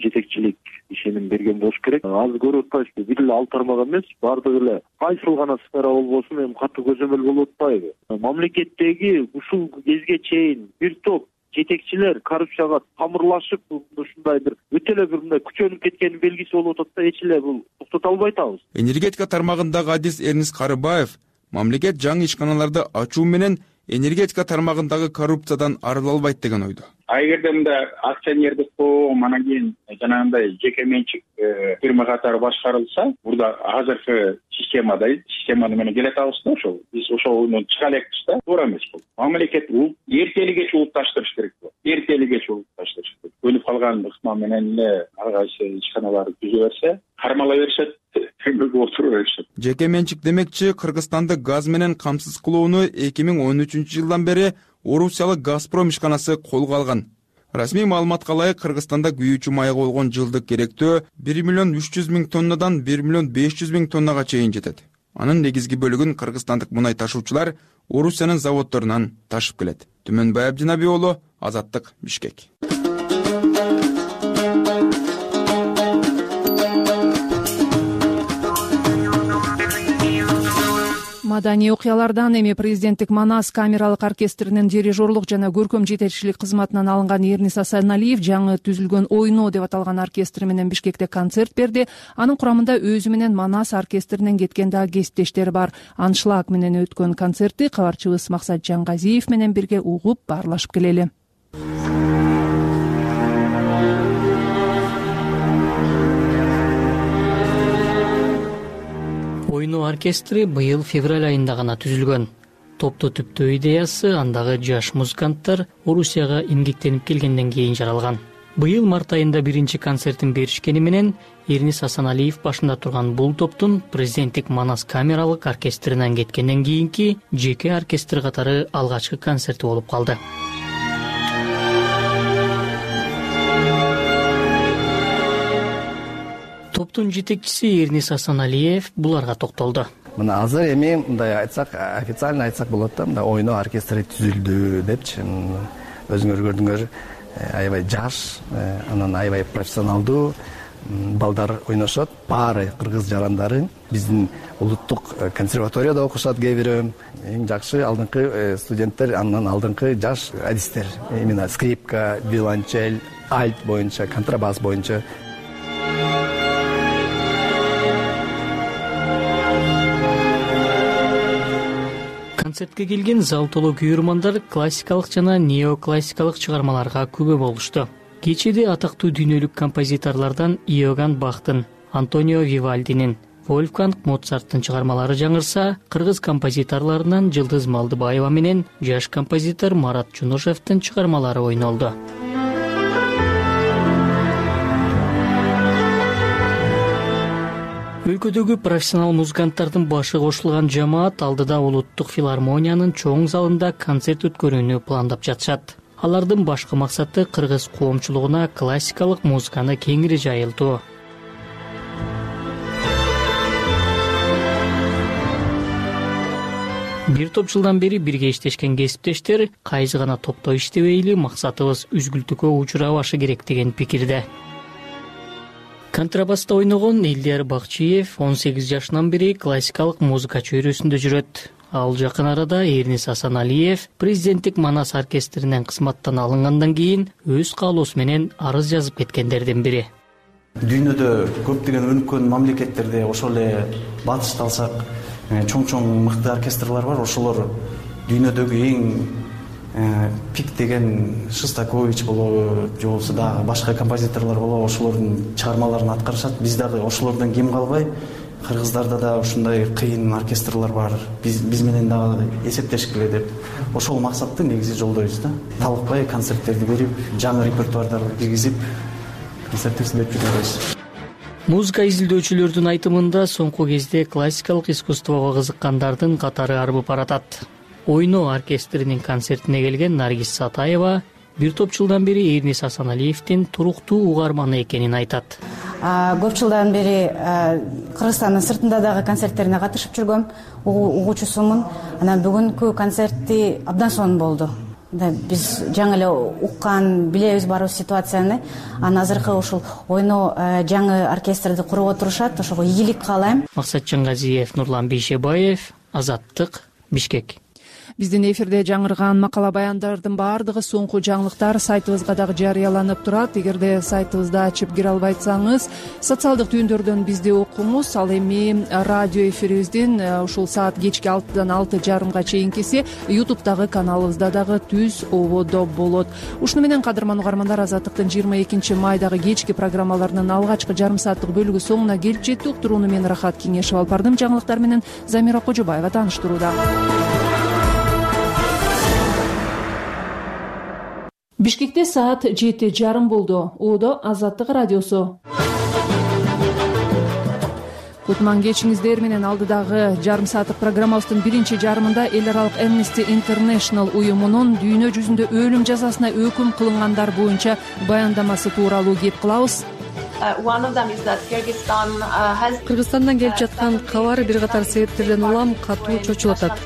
жетекчилик ишеним берген болуш керек. Азыр көрүп атпайбызбы, бир эле ал тармак эмес, бардык эле кайсыл гана сфера болбосун эми катуу көзөмөл болуп атпайбы? Мамлекеттеги ушул кезге чейин бир топ жетекчилер коррупцияга тамырлашып, ушундай бир өтө эле бир мындай күчөнүп кеткенин белгиси болуп атат да, эч эле бул токтото албай атабыз. Энергетика тармагындагы адис Эрнис Карыбаев мамлекет жаңы ишканаларды ачуу менен энергетика тармагындагы коррупциядан арыла албайт деген ойдо. Эгерде мында акционердик коом анан кийин жанагындай жеке менчик фирма катары башкарылса, burada азыркы системаны менен келе атабыз да, ошол биз ошону чыга элекпиз да, туура эмес бул. Мамлекет эртели кеч улутташтырыш керек бул. Эртели кеч улутташтырыш керек. Өлүп калган ыкма менен эле ар кайсы ишканаларды түзө берсе, кармала беришет, төмөгө отура беришет. Жеке менчик демекчи Кыргызстанды газ менен камсыз кылууну 2013-жылдан бери Орусиялык Газпром ишканасы колго алган. Расмий маалыматка ылайык Кыргызстанда күйүүчү майга болгон жылдык керектөө 1,3 миллион тоннадан 1,5 миллион тоннага чейин жетет. Анын негизги бөлүгүн кыргызстандык мунай ташуучулар Орусиянын заводдорунан ташып келет. Түмөнбай Абдинаби уулу, Азаттык, Бишкек. Маданий окуялардан эми президенттик Манас камералык оркестринин дирижерлук жана көркөм жетекчилик кызматынан алынган Эрнис Асаналиев жаңы түзүлгөн Ойно деп аталган оркестри менен Бишкекте концерт берди. Анын курамында өзү менен Манас оркестринен кеткен дагы кесиптештери бар. Аншлаг менен өткөн концертти кабарчыбыз Максат Жангазиев менен бирге угуп баарлашып келели. Ойно оркестри быйыл февраль айында гана түзүлгөн. Топту түптөө идеясы андагы жаш музыканттар Орусияга эмгектенип келгенден кийин жаралган. Быйыл март айында биринчи концертин беришкени менен Эрнис Асаналиев башында турган бул топтун президенттик Манас камералык оркестринен кеткенден кийинки жеке оркестр катары алгачкы концерти болуп калды. Топтун жетекчиси Эрнис Асаналиев буларга токтолду. Мына азыр эми мындай айтсак, официально айтсак болот да, мында Ойно оркестри түзүлдү депчи. Өзүңөр көрдүңөр, аябай жаш, анан аябай профессионалдуу балдар ойношот. Баары кыргыз жарандары, биздин улуттук консерваторияда окушат кээ бири. Эң жакшы алдыңкы студенттер, андан алдыңкы жаш адистер. Именно скрипка, виолончель, альт боюнча, контрабас боюнча. Концертке келген зал толуу күйөрмандар классикалык жана неоклассикалык чыгармаларга күбө болушту. Кечеде атактуу дүйнөлүк композиторлордон Иоганн Бахтын, Антонио Вивальдинин, Вольфганг Моцарттын чыгармалары жаңырса, кыргыз композиторлорунан Жылдыз Малдыбаева менен жаш композитор Марат Жунушевдин чыгармалары ойнолду. Өлкөдөгү профессионал музыканттардын башы кошулган жамаат алдыда улуттук филармониянын чоң залында концерт өткөрүүнү пландап жатышат. Алардын башкы максаты кыргыз коомчулугуна классикалык музыканы кеңири жайылтуу. Бир топ жылдан бери бирге иштешкен кесиптештер кайсы гана топто иштебейли максатыбыз үзгүлтүккө учурабашы керек деген пикирде. Контрабаста ойногон Элдияр Бакчиев 18 жашынан бери классикалык музыка чөйрөсүндө жүрөт. Ал жакын арада Эрнис Асаналиев президенттик Манас оркестринен кызматтан алынгандан кийин өз каалоосу менен арыз жазып кеткендердин бири. Дүйнөдө көптөгөн өнүккөн мамлекеттерде ошол эле батышты алсак, чоң мыкты оркестрлар бар. Ошолор дүйнөдөгү эң пик деген Шостакович болобу, же болбосо дагы башка композиторлор болобу, ошолордун чыгармаларын аткарышат. Биз дагы ошолордон кем калбай, кыргыздарда да ушундай кыйын оркестрлар бар. Биз менен дагы эсептешкиле деп ошол максатты негизи жолдойбуз да. Талыкпай концерттерди берип, жаңы репертуардарды киргизип, концерттерди берип жүрөбүз. Музыка изилдөөчүлөрдүн айтымында соңку кезде классикалык искусствого кызыккандардын катары арбып баратат. Ойно оркестринин концертине келген Наргиз Сатаева бир топ жылдан бери Эрнис Асаналиевдин туруктуу угарманы экенин айтат. Көп жылдан бери Кыргызстандын сыртында дагы концерттерине катышып жүргөм, угуучусумун. Анан бүгүнкү концерти абдан сонун болду. Биз жаңы эле уккан, билебиз барыбыз ситуацияны. Анан азыркы ушул Ойно жаңы оркестрди куруп отурушат, ошого ийгилик каалайм. Максат Жангазиев, Нурлан Бейшебаев, Азаттык, Бишкек. Биздин эфирде жаңырган макала баяндардын баардыгы соңку жаңылыктар сайтыбызга дагы жарыяланып турат. Эгерде сайтыбызды ачып кире албайсаңыз, социалдык түйүндөрдөн бизди окуңуз. Ал эми радио эфирибиздин ушул саат кечки 6-дан 6:30 чейинкиси YouTube'дагы каналыбызда дагы түз ободо болот. Ушуну менен кадырман угармандар, Азаттыктын 22 майдагы кечки программаларынын алгачкы жарым сааттык бөлүгү соңуна келип жетти. Уктурууну мен Рахат Кеңешев алып бардым. Жаңылыктар менен Замира Кожобаева тааныштырууда. Бишкекте саат 7:30 болду. Одо Азаттык радиосу. Кутман кечиңиздер менен. Алдыдагы жарым сааттык программабыздын биринчи жарымында эл аралык Amnesty International уюмунун дүйнө жүзүндө өлүм жазасына өкүм кылынгандар боюнча баяндамасы тууралуу кеп кылабыз. Кыргызстандан келип жаткан кабар бир катар себептерден улам катуу чочулатат.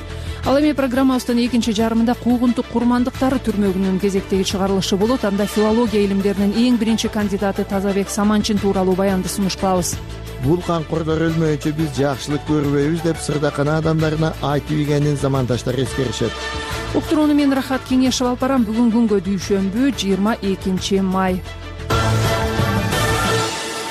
Ал эми программабыздын экинчи жарымында куугунтук курмандыктары түрмөгүнүн кезектеги чыгарылышы болот. Анда филология илимдеринин эң биринчи кандидаты Тазабек Саманчин тууралуу баянды сунуш кылабыз. Бул канкордор өлмөйүнчө биз жакшылык көрбөйбүз деп сырдакана адамдарына айтып ийгенин замандаштар эскеришет. Уктурууну мен Рахат Кеңешев алып барам. Бүгүн күнгө дүйшөмбү 22 май.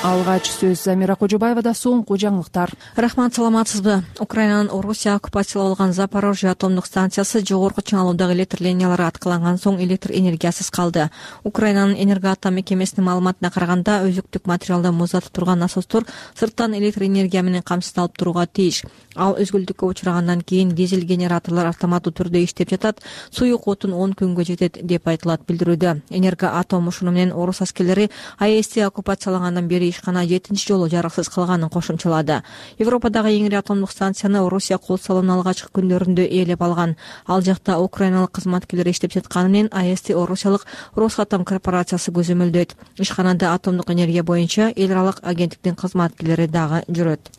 Алгач сөз Замира Кожобаевада. Соңку жаңылыктар. Рахмат, саламатсызбы? Украинанын Орусия оккупациялап алган Запорожье атомдук станциясы жогорку чыңалуудагы электр линиялары аткыланган соң электр энергиясыз калды. Украинанын энергоатом мекемесинин маалыматына караганда, өзүктүк материалды муздатып турган насостор сырттан электр энергия менен камсыздалып турууга тийиш. Ал өзгүлтүккө учурагандан кийин дизель генераторлор автоматтуу түрдө иштеп жатат. Суюк отун 10 күнгө жетет деп айтылат билдирүүдө. Энергоатом ушуну менен орус аскерлери АЭСти оккупациялангандан бери ишкана 7-чи жолу жарыксыз калганын кошумчалады. Европадагы эң ири атомдук станцияны Орусия кол салуунун алгачкы күндөрүндө ээлеп алган. Ал жакта украиналык кызматкерлер иштеп жатканы менен АЭСти орусиялык Росатом корпорациясы көзөмөлдөйт. Ишканада атомдук энергия боюнча эл аралык агенттиктин кызматкерлери дагы жүрөт.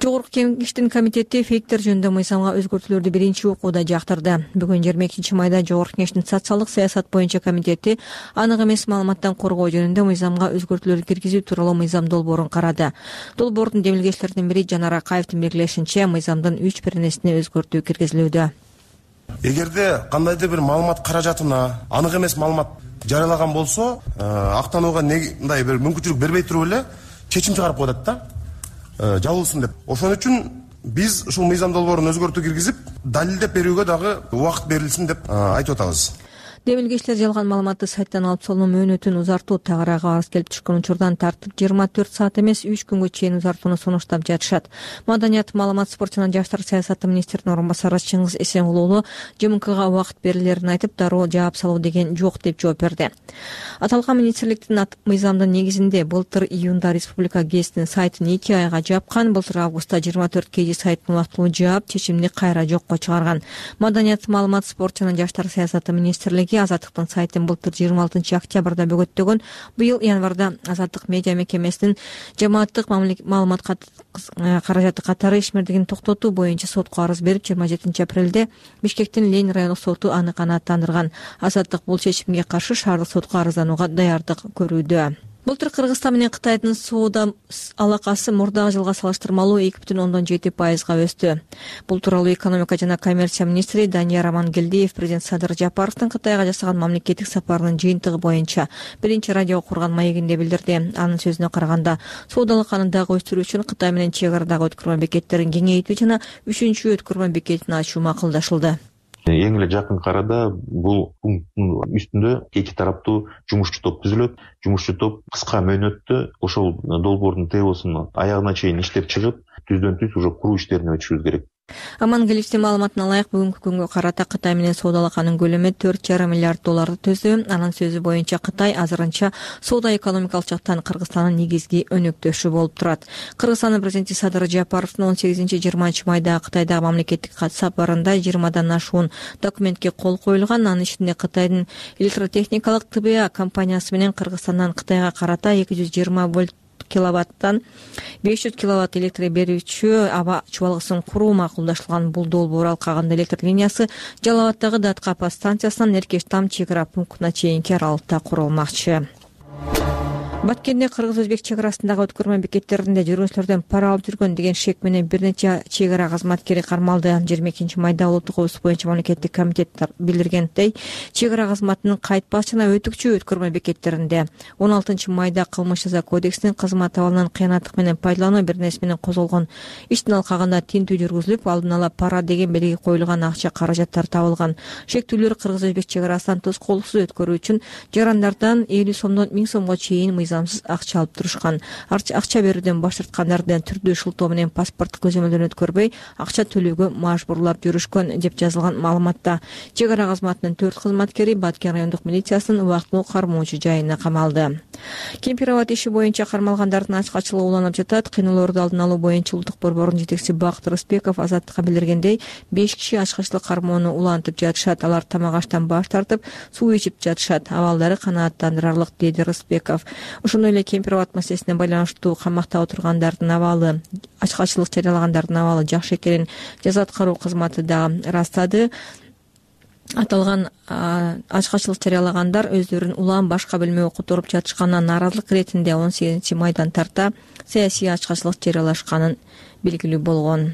Жогорку Кеңештин комитети фейктер жөнүндө мыйзамга өзгөртүүлөрдү биринчи окууда жактырды. Бүгүн 22 майда Жогорку Кеңештин социалдык саясат боюнча комитети анык эмес маалыматтан коргоо жөнүндө мыйзамга өзгөртүүлөр киргизүү тууралуу мыйзам долбоорун карады. Долбоордун демилгечилеринин бири Жанар Акаевдин белгилешинче, мыйзамдын 3 пернесине өзгөртүү киргизилүүдө. Эгерде кандайдыр бир маалымат каражатына анык эмес маалымат жарыялаган болсо, актанууга мындай бир мүмкүнчүлүк бербей туруп эле чечим чыгарып коет да. Жабылсын деп. Ошон үчүн биз ушул мыйзам долбоорун өзгөртүү киргизип, далилдеп берүүгө дагы убакыт берилсин деп айтып атабыз. Демилгечилер жалган маалыматты сайттан алып салуу мөөнөтүн узартуу тагыраагы арыз келип түшкөн учурдан тартып 24 саат эмес 3 күнгө чейин узартууну сунуштап жатышат. Маданият, маалымат, спорт жана жаштар саясаты министринин орун басары Чыңгыз Эсенгулуулу ЖМКга убакыт берилерин айтып, дароо жаап салуу деген жок деп жооп берди. Аталган министрликтин мыйзамдын негизинде былтыр июнда Республика гезитинин сайтын 2 айга жапкан, былтыр августта 24 kg сайтын убактылуу жаап, чечимди кайра жокко чыгарган. Маданият, маалымат, спорт жана жаштар саясаты министрлиги Азаттыктын сайтын былтыр 26 октябрда бөгөттөгөн. Быйыл январда Азаттык медиа мекемесинин жамааттык маалымат каражаты катары ишмердигин токтотуу боюнча сотко арыз берип, 27 апрелде Бишкектин Ленин райондук соту аны канааттандырган. Азаттык бул чечимге каршы шаардык сотко арызданууга даярдык көрүүдө. Былтыр Кыргызстан менен Кытайдын соода алакасы мурдагы жылга салыштырмалуу 2,7%га өстү. Бул тууралуу экономика жана коммерция министри Данияр Амангелдиев президент Садыр Жапаровдун Кытайга жасаган мамлекеттик сапарынын жыйынтыгы боюнча биринчи радиого курган маегинде билдирди. Анын сөзүнө караганда, соодалык дагы өстүрүү үчүн Кытай менен чек арадагы өткөрмө бекеттерин кеңейтүү жана 3-чү өткөрмө бекетин ачуу макулдашылды. Эң эле жакын арада бул пункттун үстүндө эки тараптуу жумушчу топ түзүлөт. Жумушчу топ кыска мөөнөттө ошол долбоордун ТОсун аягына чейин иштеп чыгып, түздөн-түз уже куруу иштерине өтүшүбүз керек. Амангелиевдин маалыматына ылайык, бүгүнкү күнгө карата Кытай менен соодалаканын көлөмү $4,5 миллиард төздү. Анын сөзү боюнча Кытай азырынча соода экономикалык жактан Кыргызстандын негизги өнөктөшү болуп турат. Кыргызстандын президенти Садыр Жапаровдун 18-20 майда Кытайдагы мамлекеттик сапарында 20дан ашуун документке кол коюлган. Анын ичинде Кытайдын электротехникалык ТБА компаниясы менен Кыргызстандан Кытайга карата 220 вольт киловаттан 500 киловатт электр берүүчү аба чубалгысын куруу макулдашылган. Бул долбоор алкагында электр линиясы Жалал абаддагы Даткапа станциясынан Эркештам чек ара пунктуна чейинки аралыкта курулмакчы. Баткенде кыргыз-өзбек чек арасындагы өткөрмө бекеттеринде жүргүнчүлөрдөн пара алып жүргөн деген шек менен бир нече чек ара кызматкери кармалды. 22 майда улуттук коопсуздук боюнча мамлекеттик комитет билдиргендей, чек ара кызматынын кайтпас жана өтүкчү өткөрмө бекеттеринде 16 майда кылмыш жаза кодексинин кызмат абалынан кыянаттык менен пайдалануу бирнеси менен козголгон иштин алкагында тинтүү жүргүзүлүп, алдын ала пара деген белги коюлган акча каражаттар табылган. Шектүүлөр кыргыз-өзбек чек арасынан тоскоолсуз өткөрүү үчүн жарандардан 50 сомдон 1000 сомго чейин мыйзамсыз акча алып турушкан. Акча берүүдөн баш тарткандардын түрдүү шылтоо менен паспорттук көзөмөлдөн өткөрбөй акча төлөөгө мажбурлап жүрүшкөн деп жазылган маалыматта. Чек ара кызматынын 4 кызматкери Баткен райондук милициясынын убактылуу кармоочу жайына камалды. Кемпировод иши боюнча кармалгандардын ачкачылыгы уланып жатат. Кыйноолорду алдын алуу боюнча улуттук борбордун жетекчиси Бакыт Рыспеков азаттыкка билдиргендей, 5 киши ачкачылык кармоону улантып жатышат. Алар тамак аштан баш тартып, суу ичип жатышат. Абалдары канааттандырарлык, деди Рыспеков. Ошондой эле Кемпировод маселесине байланыштуу камакта отургандардын абалы, ачкачылык жарыялагандардын абалы жакшы экенин жаза аткаруу кызматы дагы ырастады. Аталган ачкачылык жарыялагандар өздөрүн улам башка бөлмөгө которуп жатышканына нааразылык иретинде 18 майдан тарта саясий ачкачылык жарыялашканын белгилүү болгон.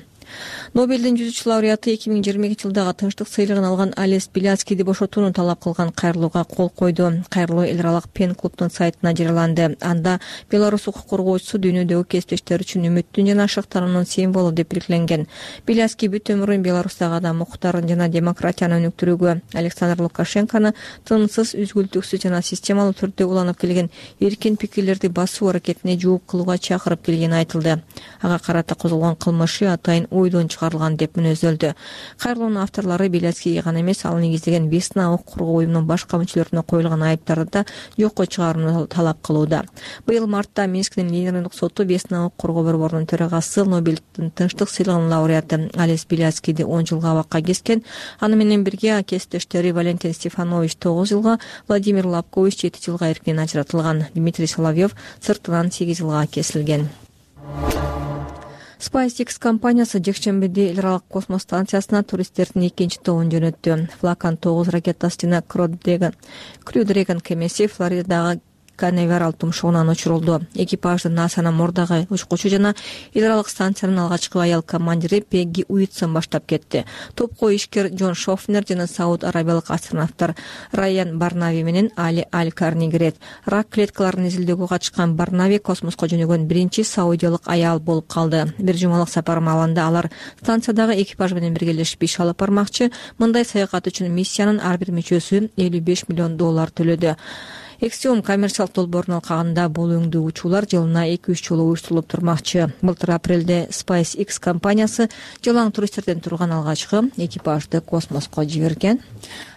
Нобелдин жүзүүчү лауреаты 2022 жылдагы тынчтык сыйлыгын алган Алес Беляцкийди бошотууну талап кылган кайрылууга кол койду. Кайрылуу эл аралык пен клубдун сайтына жарыяланды. Анда Беларусь укук коргоочусу дүйнөдөгү кесиптештери үчүн үмүттүн жана шыктануунун символу деп белгиленген. Беляцкий бүт өмүрүн Беларустагы адам укуктарын жана демократияны өнүктүрүүгө, Александр Лукашенкону тынымсыз, үзгүлтүксүз жана системалуу түрдө уланып келген эркин пикирлерди басуу аракетине жооп кылууга чакырып келгени айтылды. Ага карата козголгон кылмышы атайын ойдон чыгарылган деп мүнөздөлдү. Кайрылуунун авторлору Беляцкийге гана эмес, ал негиздеген Весна укук коргоо уюмунун башка мүчөлөрүнө коюлган айыптарды да жокко чыгарууну талап кылууда. Быйыл мартта Минскдин Лениндик соту Весна укук коргоо борборунун төрагасы, Нобелдин тынчтык сыйлыгынын лауреаты Алес Беляцкийди 10 жылга абакка кескен. Аны менен бирге кесиптештери Валентин Стефанович 9 жылга, Владимир Лапкович 7 жылга эркинен ажыратылган. Дмитрий Соловьев сыртынан 8 жылга кесилген. SpaceX компаниясы жекшембиде эл аралык космос станциясына туристтердин экинчи тобун жөнөттү. Falcon 9 ракетасы жана Crew Dragon кемеси Флоридадагы Канаверал тумшугунан учурулду. Экипажды НАСАнын мурдагы учкучу жана эл аралык станциянын алгачкы аял командири Пегги Уитсон баштап кетти. Топко ишкер Джон Шофнер жана Сауд Арабиялык астронавттар Райан Барнави менен Али Аль-Карни кирет. Рак клеткаларын изилдөөгө катышкан Барнави космоско жөнөгөн биринчи саудиялык аял болуп калды. Бир жумалык сапар маалында алар станциядагы экипаж менен биргелешип иш алып бармакчы. Мындай саякат үчүн миссиянын ар бир мүчөсү $55 миллион төлөдү. Экстиум коммерциялык долбоордун алкагында бул өңдүү учуулар жылына 2-3 жолу уюштурулуп турмакчы. Былтыр апрелде SpaceX компаниясы жалаң туристтерден турган алгачкы экипажды космоско жиберген.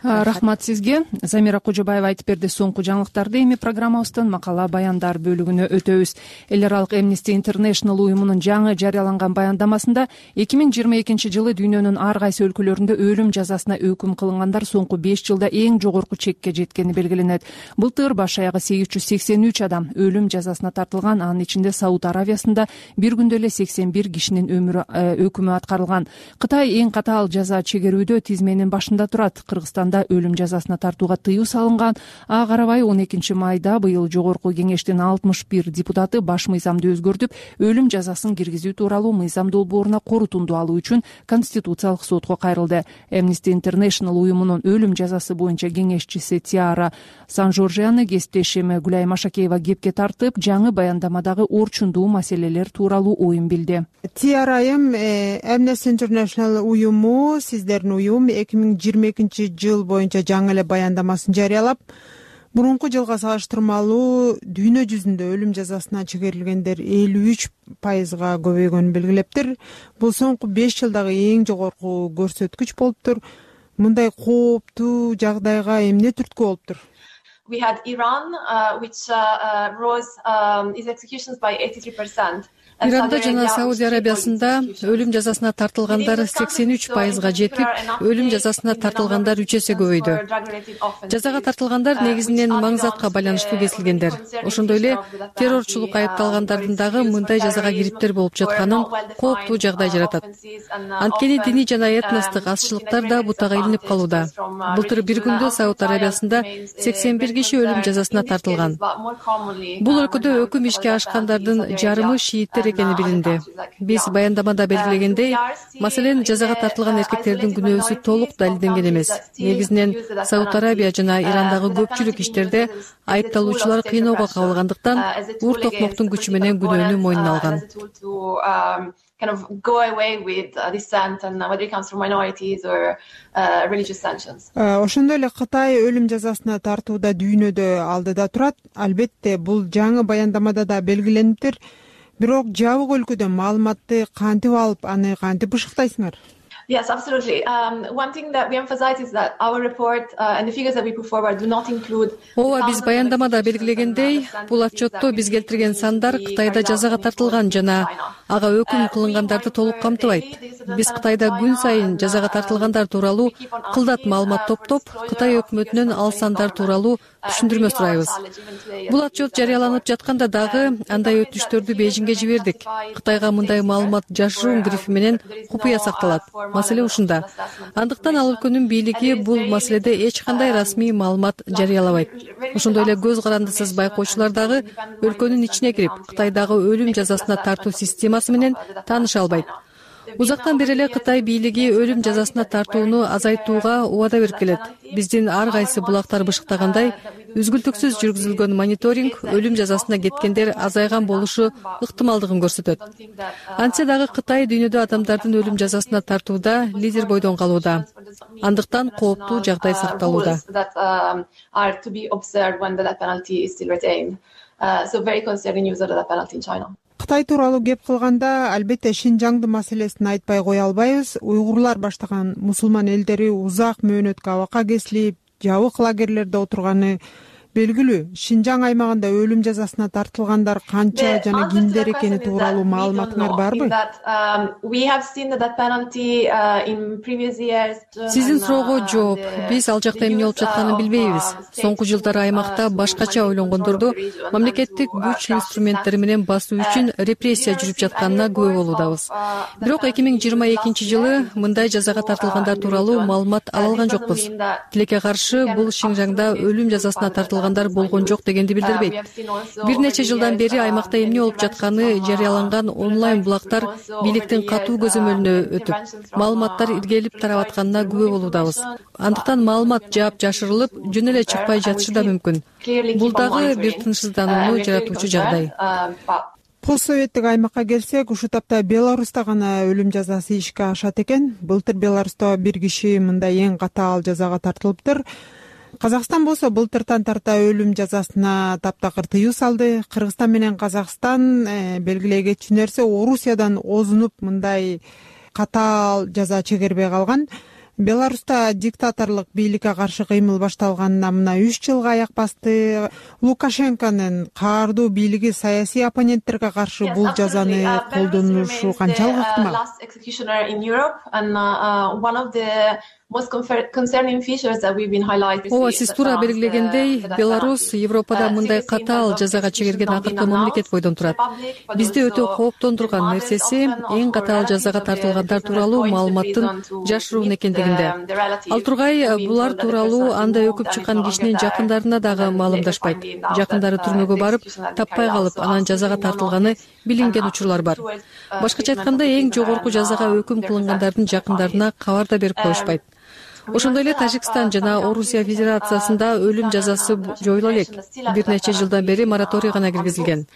Рахмат сизге. Замира Кожобаева айтып берди соңку жаңылыктарды. Эми программабыздын макала баяндар бөлүгүнө өтөбүз. Эл аралык Amnesty International уюмунун жаңы жарыяланган баяндамасында 2022 жылы дүйнөнүн ар кайсы өлкөлөрүндө өлүм жазасына өкүм кылынгандар соңку 5 жылда эң жогорку чекке жеткени белгиленет. Былтыр баш аягы 883 адам өлүм жазасына тартылган. Анын ичинде Сауд Аравиясында бир күндө эле 81 кишинин өкүмү аткарылган. Кытай эң катаал жаза чегерүүдө тизменин башында турат. Кыргызстанда өлүм жазасына тартууга тыюу салынган. Ага карабай 12 майда быйыл жогорку кеңештин 61 депутаты баш мыйзамды өзгөртүп, өлүм жазасын киргизүү тууралуу мыйзам долбооруна корутунду алуу үчүн Конституциялык сотко кайрылды. Amnesty International уюмунун өлүм жазасы боюнча кеңешчиси Тиара Сан-Жоржияны кесиптешим Гүлай Машакеева кепке тартып, жаңы баяндамадагы орчундуу маселелер тууралуу оюн билди. Тиара айым, Amnesty International уюму, сиздердин уюм 2022 жыл боюнча жаңы эле баяндамасын жарыялап, мурунку жылга салыштырмалуу дүйнө жүзүндө өлүм жазасына чегерилгендер 53%га көбөйгөнүн белгилептир. Бул соңку 5 жылдагы эң жогорку көрсөткүч болуптур. Мындай кооптуу жагдайга эмне түрткү болуптур? We had Iran, which rose its executions by 83%. Иранда жана Саудия Арабиясында өлүм жазасына тартылгандар 83%га жетип, өлүм жазасына тартылгандар 3 эсе көбөйдү. Жазага тартылгандар негизинен маңзатка байланыштуу кесилгендер. Ошондой эле террорчулук айыпталгандардын дагы мындай жазага кириптер болуп жатканын кооптуу жагдай жаратат. Анткени диний жана этностук азчылыктар да бутага илинип калууда. Былтыр бир күндө Сауд Арабиясында 81 киши өлүм жазасына тартылган. Бул өлкөдө өкүм ишке ашкандардын жарымы шииттер экени билинди. Биз баяндамада белгилегендей, маселен, жазага тартылган эркектердин күнөөсү толук далилденген эмес. Негизинен Сауд Арабия жана Ирандагы көпчүлүк иштерде айыпталуучулар кыйноого кабылгандыктан ур токмоктун күчү менен күнөөнү мойнуна алган. Ошондой эле Кытай өлүм жазасына тартууда дүйнөдө алдыда турат. Албетте, бул жаңы баяндамада да белгилениптир. Бирок жабык өлкөдө маалыматты кантип алып, аны кантип бышыктайсыңар? Yes, absolutely. One thing that we emphasize is that our report and the figures that we put forward do not include. Ооба, биз баяндамада белгилегендей, бул отчетто биз келтирген сандар Кытайда жазага тартылган жана ага өкүм кылынгандарды толук камтыбайт. Биз Кытайда күн сайын жазага тартылгандар тууралуу кылдат маалымат топтоп, Кытай өкмөтүнөн ал сандар тууралуу түшүндүрмө сурайбыз. Бул отчет жарыяланып жатканда дагы андай өтүнүчтөрдү Бейжиңге жибердик. Кытайга мындай маалымат жашыруун грифи менен купуя сакталат. Маселе ушунда. Андыктан ал өлкөнүн бийлиги бул маселеде эч кандай расмий маалымат жарыялабайт. Ошондой эле көз карандысыз байкоочулар дагы өлкөнүн ичине кирип, Кытайдагы өлүм жазасына тартуу системасы менен тааныша албайт. Узактан бери эле Кытай бийлиги өлүм жазасына тартууну азайтууга убада берип келет. Биздин ар кайсы булактар бышыктагандай, үзгүлтүксүз жүргүзүлгөн мониторинг өлүм жазасына кеткендер азайган болушу ыктымалдыгын көрсөтөт. Антсе дагы Кытай дүйнөдө адамдардын өлүм жазасына тартууда лидер бойдон калууда. Андыктан кооптуу жагдай сакталууда. Кытай тууралуу кеп кылганда, албетте Шинжаңдын маселесин айтпай кое албайбыз. Уйгурлар баштаган мусулман элдери узак мөөнөткө абакка кесилип, жабык лагерлерде отурганы белгилүү. Шинжаң аймагында өлүм жазасына тартылгандар канча жана кимдер экени тууралуу маалыматыңар барбы? Сиздин суроого жооп. Биз ал жакта эмне болуп жатканын билбейбиз. Соңку жылдары аймакта башкача ойлонгондорду мамлекеттик күч инструменттери менен басуу үчүн репрессия жүрүп жатканына күбө болуудабыз. Бирок 2022 жылы мындай жазага тартылгандар тууралуу маалымат ала алган жокпуз. Тилекке каршы, бул Шинжаңда өлүм жазасына тартылгандар болгон жок дегенди билдирбейт. Бир нече жылдан бери аймакта эмне болуп жатканы жарыяланган онлайн булактар бийликтин катуу көзөмөлүнө өтүп, маалыматтар иргелип тарап атканына күбө болуудабыз. Андыктан маалымат жаап жашырылып, жөн эле чыкпай жатышы да мүмкүн. Бул дагы бир тынчсызданууну жаратуучу жагдай. Постсоветтик аймакка келсек, ушул тапта Беларуста гана өлүм жазасы ишке ашат экен. Былтыр Беларуста бир киши мындай эң катаал жазага тартылыптыр. Казакстан болсо былтыртан тарта өлүм жазасына таптакыр тыюу салды. Кыргызстан менен Казакстан белгилей кетчү нерсе, Орусиядан озунуп мындай катаал жаза чегербей калган. Беларуста диктаторлук бийликке каршы кыймыл башталганына мына 3 жылга аяк басты. Лукашенконун каардуу бийлиги саясий оппоненттерге каршы бул жазаны колдонушу канчалык ыктымал? Ооба, сиз туура белгилегендей, Беларусь Европада мындай катаал жазага чегерген акыркы мамлекет бойдон турат. Бизди өтө кооптондурган нерсеси эң катаал жазага тартылгандар тууралуу маалыматтын жашыруун экендигинде. Ал тургай, булар тууралуу анда өкүп чыккан кишинин жакындарына дагы маалымдашпайт. Жакындары түрмөгө барып, таппай калып, анан жазага тартылганы билинген учурлар бар. Башкача айтканда, эң жогорку жазага өкүм кылынгандардын жакындарына кабар да берип коюшпайт. Ошондой эле Тажикстан жана Орусия Федерациясында өлүм жазасы жоюла элек. Бир нече жылдан бери мораторий гана киргизилген.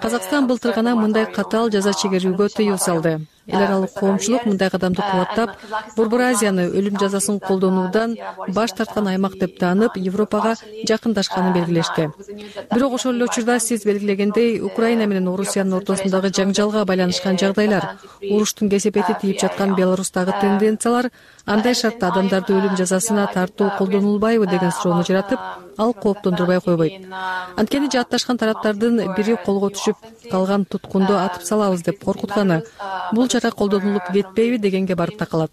Казакстан былтыр гана мындай катаал жаза чегерүүгө тыюу салды. Эл аралык коомчулук мындай кадамды кубаттап, Борбор Азияны өлүм жазасын колдонуудан баш тарткан аймак деп таанып, Европага жакындашканын белгилешти. Бирок ошол эле учурда сиз белгилегендей, Украина менен Орусиянын ортосундагы жаңжалга байланышкан жагдайлар, уруштун кесепети тийип жаткан Беларустагы тенденциялар андай шартта адамдарды өлүм жазасына тартуу колдонулбайбы деген суроону жаратып, ал кооптондурбай койбойт. Анткени жаатташкан тараптардын бири колго түшүп калган туткунду атып салабыз деп коркутканы, бул чара колдонулуп кетпейби дегенге барып такалат.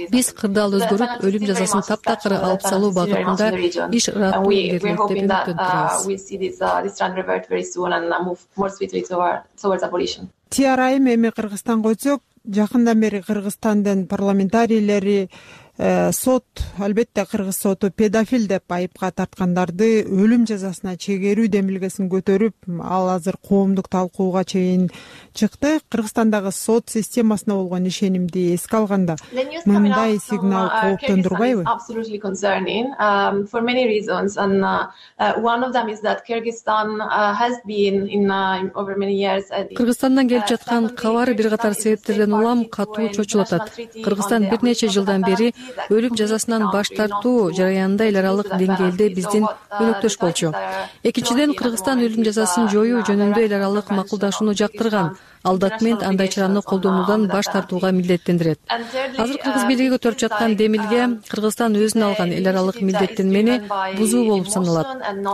Биз кырдаал өзгөрүп, өлүм жазасын таптакыр алып салуу багытында иш ыраттуу илгерилет деп үмүттөнүп турабыз. Тиарайым эми Кыргызстанга өтсөк, жакындан бери Кыргызстандын парламентарийлери сот, албетте кыргыз соту педофил деп айыпка тарткандарды өлүм жазасына чегерүү демилгесин көтөрүп, ал азыр коомдук талкууга чейин чыкты. Кыргызстандагы сот системасына болгон ишенимди эске алганда мындай сигнал кооптондурбайбы? Кыргызстандан келип жаткан кабар бир катар себептерден улам катуу чочулуп атат. Кыргызстан бир нече жылдан бери өлүм жазасынан баш тартуу жараянында эл аралык деңгээлде биздин өнөктөш болчу. Экинчиден, Кыргызстан өлүм жазасын жоюу жөнүндө эл аралык макулдашууну жактырган. Ал документ андай чараны колдонуудан баш тартууга милдеттендирет. Азыр кыргыз бийлиги көтөрүп жаткан демилге Кыргызстан өзүнө алган эл аралык милдеттенмени бузуу болуп саналат.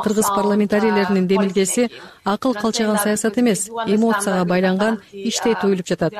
Кыргыз парламентарийлеринин демилгеси акыл калчаган саясат эмес, эмоцияга байланган иштей туюлуп жатат.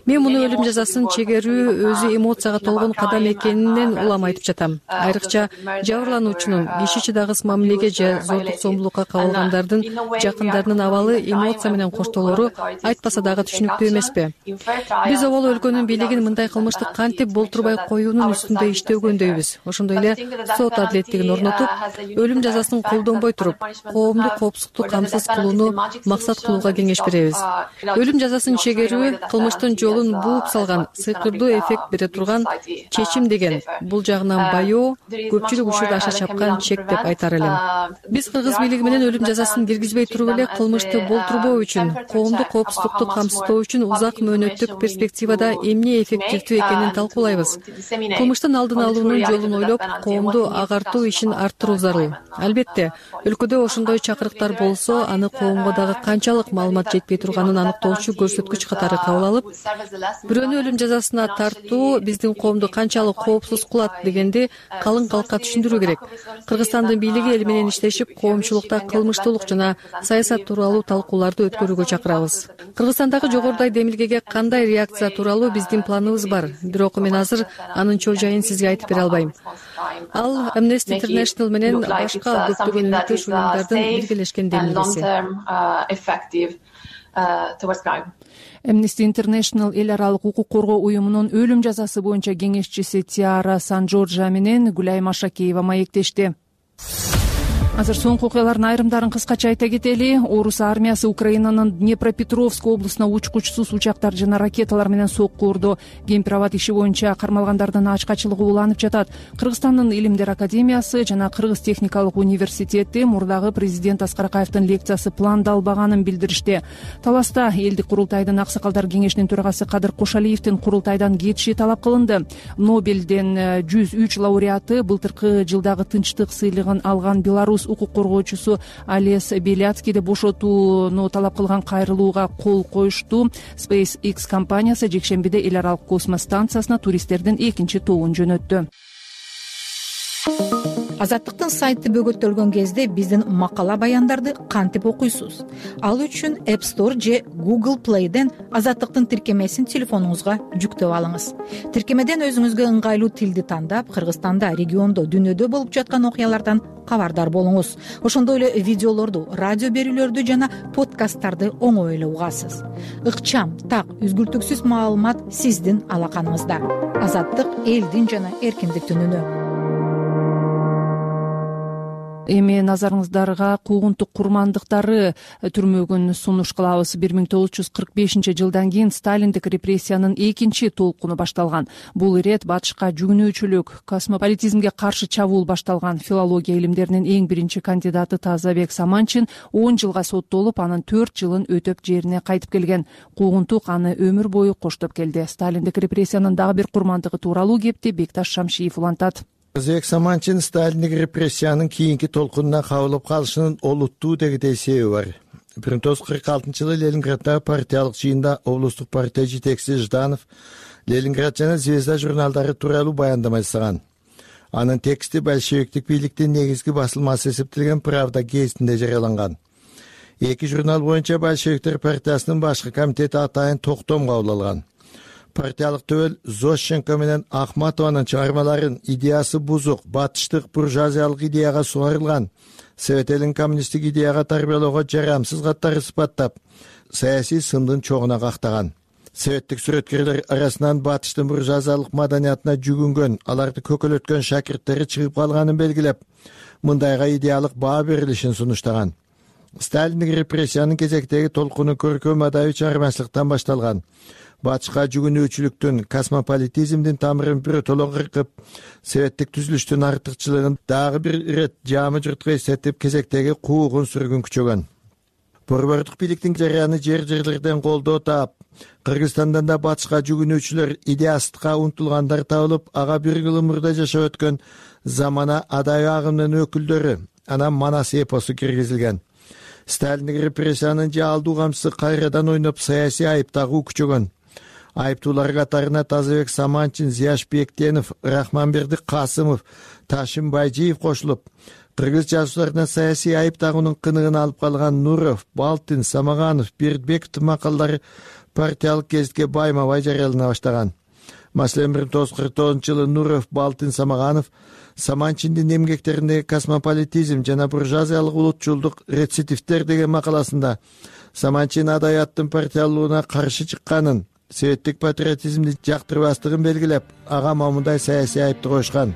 Мен муну өлүм жазасын чегерүү өзү эмоцияга толгон кадам экенинен улам айтып жатам. Айрыкча жабырлануучунун, киши чыдагыс мамилеге же зордук зомбулукка кабылгандардын жакындарынын абалы эмоция менен коштолору айтпаса дагы түшүнүктүү эмеспи? Биз обол өлкөнүн бийлигин мындай кылмышты кантип болтурбай коюунун үстүндө иштөгөндөйбүз. Ошондой эле сот адилеттигин орнотуп, өлүм жазасын колдонбой туруп, коомдук коопсуздукту камсыз кылууну максат кылууга кеңеш беребиз. Өлүм жазасын чегерүү кылмыштын жолун бууп салган, сыйкырдуу эффект бере турган чечим деген бул жагынан байоо, көпчүлүк учурда аша чапкан чек деп айтар элем. Биз кыргыз бийлиги менен өлүм жазасын киргизбей туруп эле кылмышты болтурбоо үчүн, коомдук коопсуздукту камсыздоо үчүн узак мөөнөттүк перспективада эмне эффективдүү экенин талкуулайбыз. Кылмыштын алдын алуунун жолун ойлоп, коомду агартуу ишин арттыруу зарыл. Албетте, өлкөдө ошондой чакырыктар болсо, аны коомго дагы канчалык маалымат жетпей турганын аныктоочу көрсөткүч катары кабыл алып, бирөөнү өлүм жазасына тартуу биздин коомду канчалык коопсуз кылат дегенди калың калкка түшүндүрүү керек. Кыргызстандын бийлиги эл менен иштешип, коомчулукта кылмыштуулук жана саясат тууралуу талкууларды өткөрүүгө чакырабыз. Кыргызстандагы жогорудой демилгеге кандай реакция тууралуу биздин планыбыз бар, бирок мен азыр анын чоо жайын сизге айтып бере албайм. Ал Amnesty International менен башка көптөгөн өнөктөш уюмдардын биргелешкен демилгеси. Amnesty International эл аралык укук коргоо уюмунун өлүм жазасы боюнча кеңешчиси Тиара Сан-Джорджа менен Гүлай Машакеева маектешти. Азыр соңку окуялардын айрымдарын кыскача айта кетели. Орус армиясы Украинанын Днепропетровск облусуна учкучсуз учактар жана ракеталар менен сокку урду. Кемпир-абад иши боюнча кармалгандардын ачкачылыгы уланып жатат. Кыргызстандын Илимдер академиясы жана Кыргыз техникалык университети мурдагы президент Аскар Акаевдин лекциясы пландалбаганын билдиришти. Таласта элдик курултайдын аксакалдар кеңешинин төрагасы Кадыр Кошалиевдин курултайдан кетиши талап кылынды. Нобелден 103 лауреаты былтыркы жылдагы тынчтык сыйлыгын алган Беларусь укук коргоочусу Олес Беляцкийди бошотууну талап кылган кайрылууга кол коюшту. SpaceX компаниясы жекшембиде эл аралык космос станциясына туристтердин экинчи тобун жөнөттү. Азаттыктын сайты бөгөттөлгөн кезде биздин макала баяндарды кантип окуйсуз? Ал үчүн App Store же Google Play'ден Азаттыктын тиркемесин телефонуңузга жүктөп алыңыз. Тиркемеден өзүңүзгө ыңгайлуу тилди тандап, Кыргызстанда, региондо, дүйнөдө болуп жаткан окуялардан кабардар болуңуз. Ошондой эле видеолорду, радио берүүлөрдү жана подкасттарды оңой эле угасыз. Ыкчам, так, үзгүлтүксүз маалымат сиздин алаканыңызда. Азаттык элдин жана эркиндиктин үнү. Эми назарыңыздарга куугунтук курмандыктары түрмөгүн сунуш кылабыз. 1945-жылдан кийин Сталиндик репрессиянын экинчи толкуну башталган. Бул ирет батышка жүгүнүүчүлүк, космополитизмге каршы чабуул башталган. Филология илимдеринин эң биринчи кандидаты Тазабек Саманчин 10 жылга соттолуп, анын 4 жылын өтөп жерине кайтып келген. Куугунтук аны өмүр бою коштоп келди. Сталиндик репрессиянын дагы бир курмандыгы тууралуу кепти Бекташ Шамшиев улантат. Тазабек Саманчин Сталиндик репрессиянын кийинки толкунуна кабылып калышынын олуттуу дегидей себеби бар. 1946-жылы Ленинграддагы партиялык жыйында облустук партия жетекчиси Жданов Ленинград жана Звезда журналдары тууралуу баяндама жасаган. Анын тексти большевиктик бийликтин негизги басылмасы эсептелген «Правда» гезитинде жарыяланган. Эки журнал боюнча большевиктер партиясынын башкы комитети атайын токтом кабыл алган. Партиялык төбөл Зощенко менен Ахматованын чыгармаларын идеясы бузук, батыштык буржуазиялык идеяга сугарылган, Совет элин коммунисттик идеяга тарбиялоого жарамсыз каттары сыпаттап, саясий сындын чогуна кактаган. Советтик сүрөткерлер арасынан батыштын буржуазиялык маданиятына жүгүнгөн, аларды көкөлөткөн шакирттери чыгып калганын белгилеп, мындайга идеялык баа берилишин сунуштаган. Сталиндик репрессиянын кезектеги толкуну көркөм адабий чыгармачылыктан башталган. Батышка жүгүнүүчүлүктүн, космополитизмдин тамырын биротоло кыркып, советтик түзүлүштүн артыкчылыгын дагы бир ирет жаамы журтка эстетип, кезектеги куугун сүргүн күчөгөн. Борбордук бийликтин жарыяны жерлерден колдоо таап, Кыргызстандан да батышка жүгүнүүчүлөр, идеясыздыкка умтулгандар табылып, ага бир жыл мурда жашап өткөн замана адайы агымынын өкүлдөрү, анан Манас эпосу киргизилген. Сталиндик репрессиянын жаалдуу камчысы кайрадан ойноп, саясий айып тагуу күчөгөн. Айыптуулар катарына Тазабек Саманчин, Зияш Бектенов, Рахманберди Касымов, Ташим Байжиев кошулуп, кыргыз жазуучуларына саясий айып тагуунун кыныгын алып калган Нуров, Балтин, Самаганов, Бердбековдун макалалары партиялык гезитке байма-бай жарыялана баштаган. Маселен 1949-жылы Нуров, Балтин, Самаганов Саманчиндин эмгектериндеги космополитизм жана буржуазиялык улутчулдук рецидивтер деген макаласында Саманчин адабияттын партиялуулуна каршы чыкканын, советтик патриотизмди жактырбастыгын белгилеп, ага мамындай саясий айыпты коюшкан.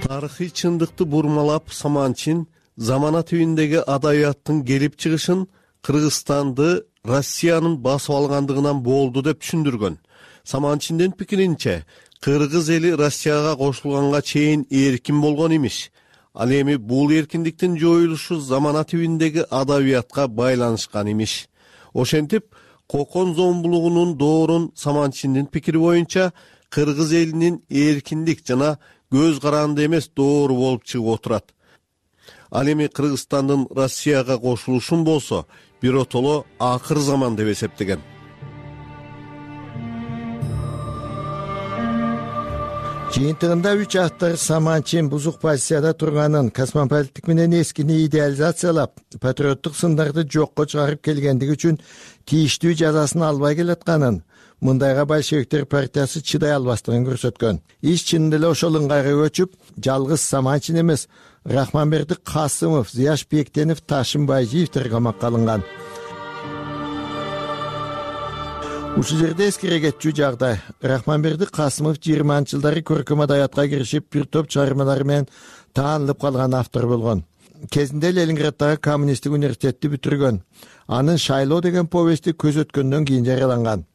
Тарыхый чындыкты бурмалап, Саманчин замана түбүндөгү адабияттын келип чыгышын Кыргызстанды Россиянын басып алгандыгынан болду деп түшүндүргөн. Саманчиндин пикиринче, кыргыз эли Россияга кошулганга чейин эркин болгон имиш. Ал эми бул эркиндиктин жоюлушу замана түбүндөгү адабиятка байланышкан имиш. Ошентип, кокон зомбулугунун доорун Саманчиндин пикири боюнча кыргыз элинин эркиндик жана көз каранды эмес доору болуп чыгып отурат. Ал эми Кыргызстандын Россияга кошулушун болсо, биротоло акыр заман деп эсептеген. Жыйынтыгында 3 автор Саманчин бузук позицияда турганын, космополиттик менен эскини идеализациялап, патриоттук сындарды жокко чыгарып келгендиги үчүн тийиштүү жазасын албай келатканын, мындайга большевиктер партиясы чыдай албастыгын көрсөткөн. Иш чынында эле ошол ыңгайга көчүп, жалгыз Саманчин эмес, Рахманберди Касымов, Зияш Бектенов, Ташим Байжиевдер камакка алынган. Ушул жерде эскере кетчү жагдай. Рахманберди Касымов 20-жылдары көркөм адабиятка киришип, бир топ чыгармалары менен таанылып калган автор болгон. Кезинде Ленинграддагы коммунисттик университетти бүтүргөн. Анын «Шайлоо» деген повести көз өткөндөн кийин жарыяланган.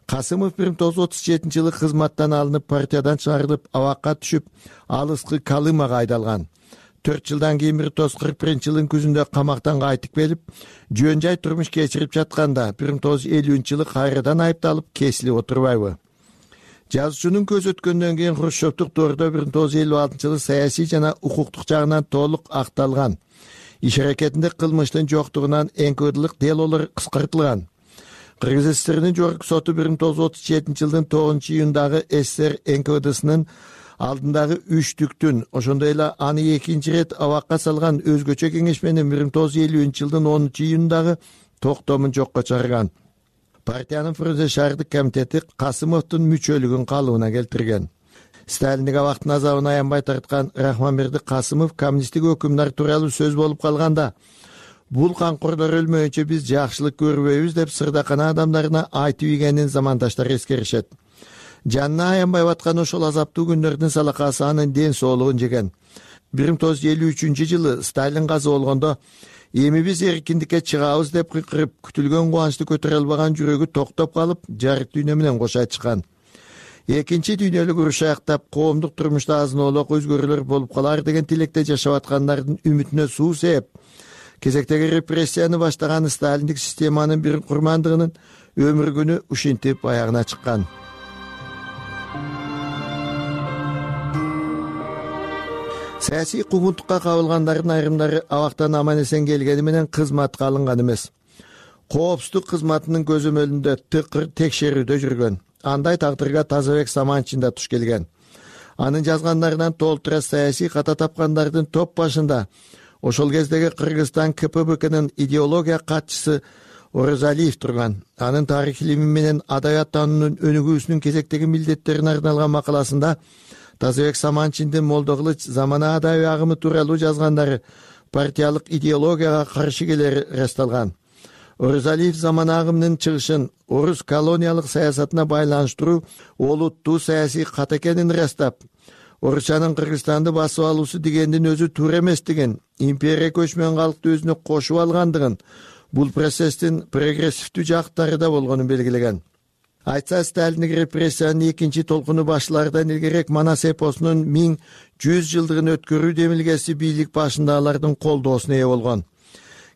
Касымов 1937-жылы кызматтан алынып, партиядан чыгарылып, абакка түшүп, алыскы Калымага айдалган. 4 жылдан кийин 1941-жылдын күзүндө камактан кайтып келип, жөн жай турмуш кечирип жатканда 1950-жылы кайрадан айыпталып, кесилип отурбайбы? Жазуучунун көз өткөндөн кийин Хрущевдук доордо 1956-жылы саясий жана укуктук жагынан толук акталган. Иш аракетинде кылмыштын жоктугунан НКВДлык делолор кыскартылган. Кыргыз СССРнин жогорку соту 1937-жылдын 9-июндагы СССР НКВДсынын алдындагы үчтүктүн, ошондой эле аны экинчи рет абакка салган өзгөчө кеңешменин 1950-жылдын 10-июндагы токтомун жокко чыгарган. Партиянын Фрунзе шаардык комитети Касымовдун мүчөлүгүн калыбына келтирген. Сталиндик абактын азабын аянбай тарткан Рахманберди Касымов коммунисттик өкүмдар тууралуу сөз болуп калганда, бул канкорлор өлмөйүнчө биз жакшылык көрбөйбүз деп сырдакана адамдарына айтып ийгенин замандаштар эскеришет. Жанына аянбай баткан ошол азаптуу күндөрдүн салакасы анын ден соолугун жеген. 1953-жылы Сталин каза болгондо, эми биз эркиндикке чыгабыз деп кыйкырып, күтүлгөн кубанычты көтөрө албаган жүрөгү токтоп калып, жарык дүйнө менен кошо чыккан. Экинчи дүйнөлүк уруш аяктап, коомдук турмушта азын-оолок өзгөрүүлөр болуп калар деген тилекте жашап аткандардын үмүтүнө суу сээп, кезектеги репрессияны баштаган сталиндик системанын бир курмандыгынын өмүр күнү ушинтип аягына чыккан. Саясий куугунтукка кабылгандардын айрымдары абактан аман-эсен келгени менен кызматка алынган эмес. коопсуздук кызматынын көзөмөлүндө тыкыр текшерүүдө жүргөн. Андай тагдырга Тазабек Саманчин да туш келген. Анын жазгандарынан толтура саясий ката тапкандардын топ башында ошол кездеги Кыргызстан КПБКнын идеология катчысы Орозалиев турган. Анын тарых илими менен адабият таануунун өнүгүүсүнүн кезектеги милдеттерине арналган макаласында Тазабек Саманчиндин Молдо Кылыч замана адабий агымы тууралуу жазгандары партиялык идеологияга каршы келери ырасталган. Орозалиев замана агымынын чыгышын орус колониялык саясатына байланыштыруу олуттуу саясий кат экенин ырастап, орусчанын Кыргызстанды басып алуусу дегендин өзү туура эместигин, империя көчмөн калкты өзүнө кошуп алгандыгын, бул процесстин прогрессивдүү жактары да болгонун белгилеген. Айтса, Сталиндик репрессиянын экинчи толкуну башлардан илгерээк Манас эпосунун 1100 жылдыгын өткөрүү демилгеси бийлик башындагылардын колдоосуна ээ болгон.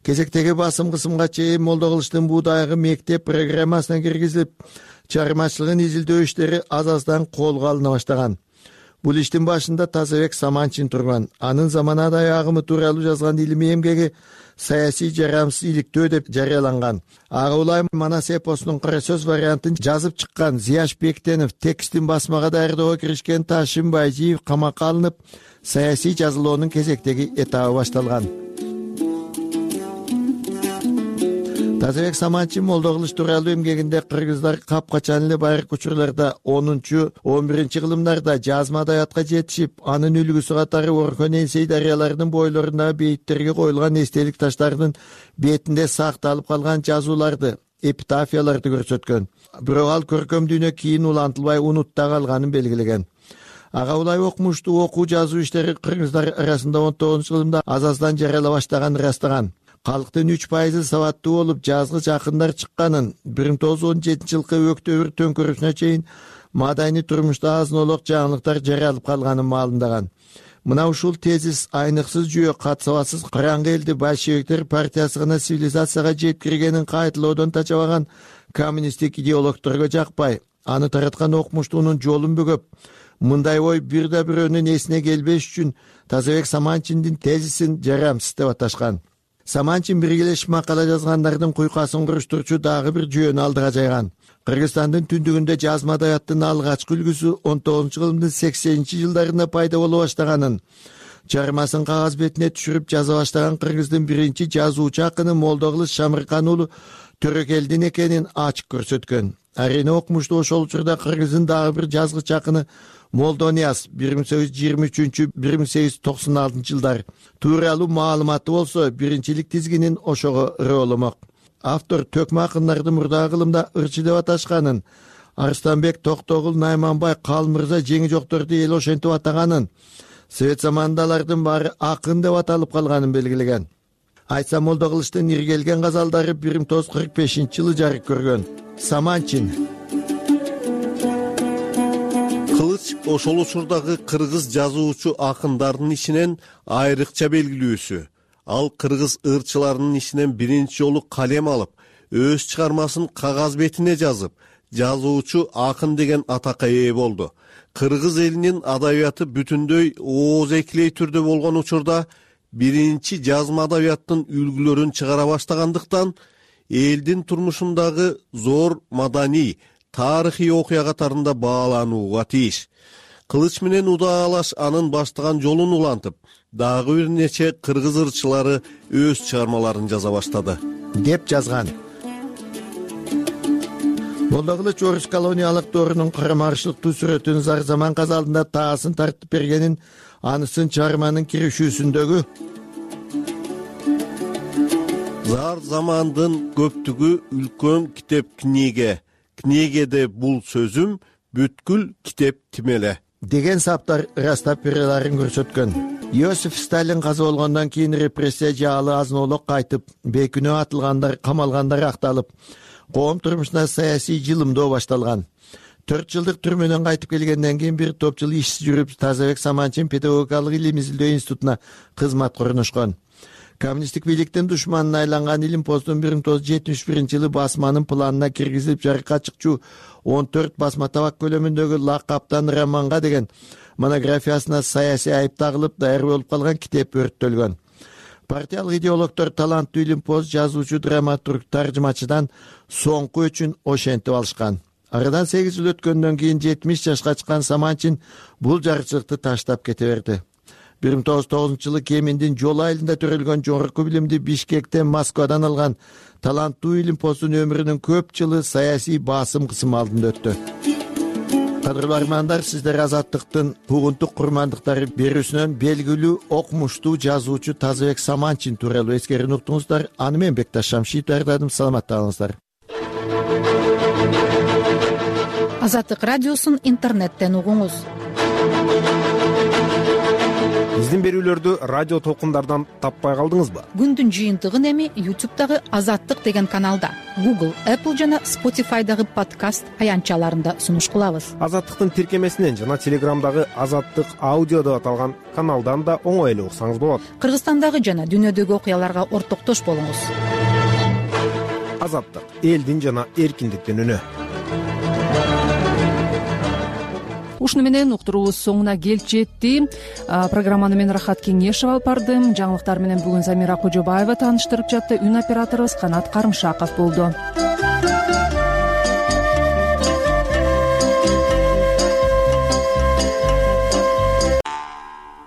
Кезектеги басым кысымга чейин Молдо Кылычтын Буудайгы мектеп программасына киргизилип, чыгармачылыгын изилдөө иштери аз-аздан колго алына баштаган. Бул иштин башында Тазабек Саманчин турган. Анын замана адабий агымы тууралуу жазган илимий эмгеги саясий жарамсыз иликтөө деп жарыяланган. Ага улай Манас эпосунун кара сөз вариантын жазып чыккан Зияш Бектенов текстин басмага даярдоого киришкен Ташим Байжиев камакка алынып, саясий жазылоонун кезектеги этабы башталган. Тазабек Саманчин Молдо Кылыч тууралуу эмгегинде кыргыздар капкачан эле байыркы учурларда 10-11 кылымдарда жазма адабиятка жетишип, анын үлгүсү катары Орхон Энсей дарыяларынын бойлорундагы бейиттерге коюлган эстелик таштардын бетинде сакталып калган жазууларды, эпитафияларды көрсөткөн. Бирок ал көркөм дүйнө кийин улантылбай унутта калганын белгилеген. Ага улай окумуштуу окуу жазуу иштери кыргыздар арасында 19 кылымда аз-аздан жарыяла баштаган ырастаган. Калктын 3% сабаттуу болуп жазгыч акындар чыкканын, 1917 жылкы өктөбүр төңкөрүүсүнө чейин мадайни турмушта азын-олок жаңылыктар жарыялып калганын маалымдаган. Мына ушул тезис айныксыз жүйө катсабасыз караңгы элди большевиктер партиясы гана цивилизацияга жеткиргенин кайталоодон тачабаган коммунисттик идеологторго жакпай, аны тараткан окумуштуунун жолун бөгөп, мындай ой бир да бирөөнүн эсине келбеш үчүн Тазабек Саманчиндин тезисин жарамсыз деп аташкан. Саманчин биргелешип макала жазгандардын куйкасын куруштурчу дагы бир жүйөнү алдыга жайган. Кыргызстандын түндүгүндө жазма адабияттын алгачкы үлгүсү 19 кылымдын 80-жылдарында пайда боло баштаганын, чыгармасын кагаз бетине түшүрүп жаза баштаган кыргыздын биринчи жазуучу акыны Молдо Кылыч Шамыркан уулу Төрөкелдин экенин ачык көрсөткөн. Арине окумуштуу ошол учурда кыргыздын дагы бир жазгыч акыны Молдо Нияз 1823-1896 жылдар тууралуу маалыматы болсо, биринчилик тизгинин ошого ырооламак. Автор төкмө акындарды мурдагы кылымда ырчы деп аташканын, Арыстанбек Токтогул, Найманбай, Калмырза жеңи жокторду эл ошентип атаганын, совет замандалардын баары акын деп аталып калганын белгилеген. Айтса, Молдо Кылычтын иргелген газалдары 1945-жылы жарык көргөн. Саманчин Кылыч ошол учурдагы кыргыз жазуучу акындардын ичинен айрыкча белгилүүсү. Ал кыргыз ырчыларынын ичинен биринчи жолу калем алып, өз чыгармасын кагаз бетине жазып, жазуучу акын деген атакка ээ болду. Кыргыз элинин адабияты бүтүндөй оозекилей түрдө болгон учурда биринчи жазма адабияттын үлгүлөрүн чыгара баштагандыктан, элдин турмушундагы зор маданий, тарыхый окуя катарында бааланууга тийиш. Кылыч менен удаалаш анын баштаган жолун улантып, дагы бир нече кыргыз ырчылары өз чыгармаларын жаза баштады, деп жазган. Молдо Кылыч орус колониялык доорунун карама-каршылыктуу сүрөтүн зар заман казалдында таасын тартып бергенин анысын чыгарманын киришүүсүндөгү зар замандын көптүгү үлкөн китеп книгеде бул сөзүм бүткүл китеп тимеле деген саптар ырастап береларын көрсөткөн. Иосиф Сталин каза болгондон кийин репрессия жаалы азын-олок кайтып, бейкүнөө атылгандар, камалгандар акталып, коом турмушуна саясий жылымдоо башталган. 4 жылдык түрмөдөн кайтып келгенден кийин бир топ жыл ишсиз жүрүп, Тазабек Саманчин педагогикалык илим изилдөө институтуна кызматка орношкон. Коммунисттик бийликтин душманына айланган Илим постун 1971-жылы басманын планына киргизилип жарыкка чыкчу 14 басма табак көлөмүндөгү Лакаптан романга деген монографиясына саясий айып тагылып, даяр болуп калган китеп өрттөлгөн. партиялык идеологдор таланттуу илимпоз, жазуучу, драматург, таржымачыдан соңку өчүн ошентип алышкан. Арадан 8 жыл өткөндөн кийин 70 жашка чыккан Саманчин бул жарчылыкты таштап кете берди. 1909-жылы Кеминдин жол айылында төрөлгөн жогорку билимди Бишкектен, Москвадан алган таланттуу илимпоздун өмүрүнүн көп жылы саясий басым кысым алдында өттү. Кадырлуу армандар, сиздер Азаттыктын бугунтук курмандыктары берүүсүнөн белгилүү окумуштуу жазуучу Тазабек Саманчин тууралуу эскерүүнү уктуңуздар. Аны мен Бекташ Шамшиев даярдадым. Саламатта калыңыздар. Азаттык радиосун интернеттен угуңуз. Биздин берүүлөрдү радио толкундардан таппай калдыңызбы? Күндүн жыйынтыгын эми YouTube'дагы Азаттык деген каналда, Google, Apple жана Spotify'дагы подкаст аянтчаларында сунуш кылабыз. Азаттыктын тиркемесинен жана Телеграмдагы Азаттык аудио деп аталган каналдан да оңой эле уксаңыз болот. Кыргызстандагы жана дүйнөдөгү окуяларга ортоктош болуңуз. Азаттык — элдин жана эркиндиктин үнү. Ушуну менен уктуруубуз соңуна келип жетти. Программаны мен Рахат Кеңешева алып бардым. Жаңылыктар менен бүгүн Замира Кожобаева тааныштырып жатты. Үн операторубуз Канат Карымшаков болду.